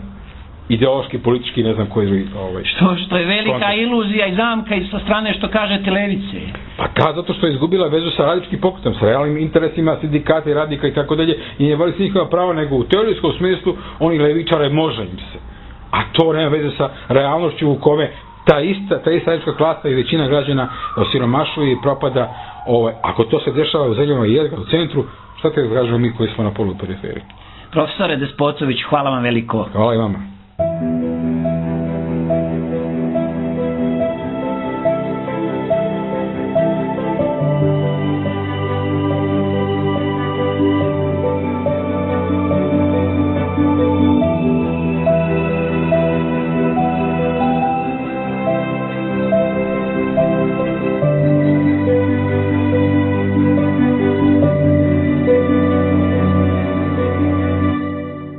ideološki, politički, ne znam koji ovaj, što, što je velika kontekst. Iluzija i zamka i sa strane što kažete levice. Pa da, zato što je izgubila vezu sa radničkim pokretom, sa realnim interesima sindikata i radnika i tako dalje i ne vali se njihova prava, nego u teorijskom smislu oni levičare može im se. A to nema veze sa realnošću u kome ta ista, ta ista radnička klasa i većina građana osiromašuje i propada. Ovaj, ako to se dešava u zemljama i jedga u centru, šta te kažemo mi koji smo na polu periferiji? Profesore Despotović, hvala vam veliko. Hvala i vama.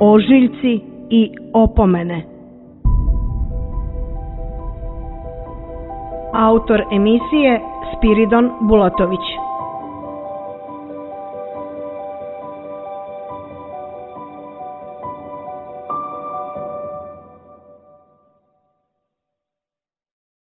Ožiljci i opomene. Autor emisije Spiridon Bulatović.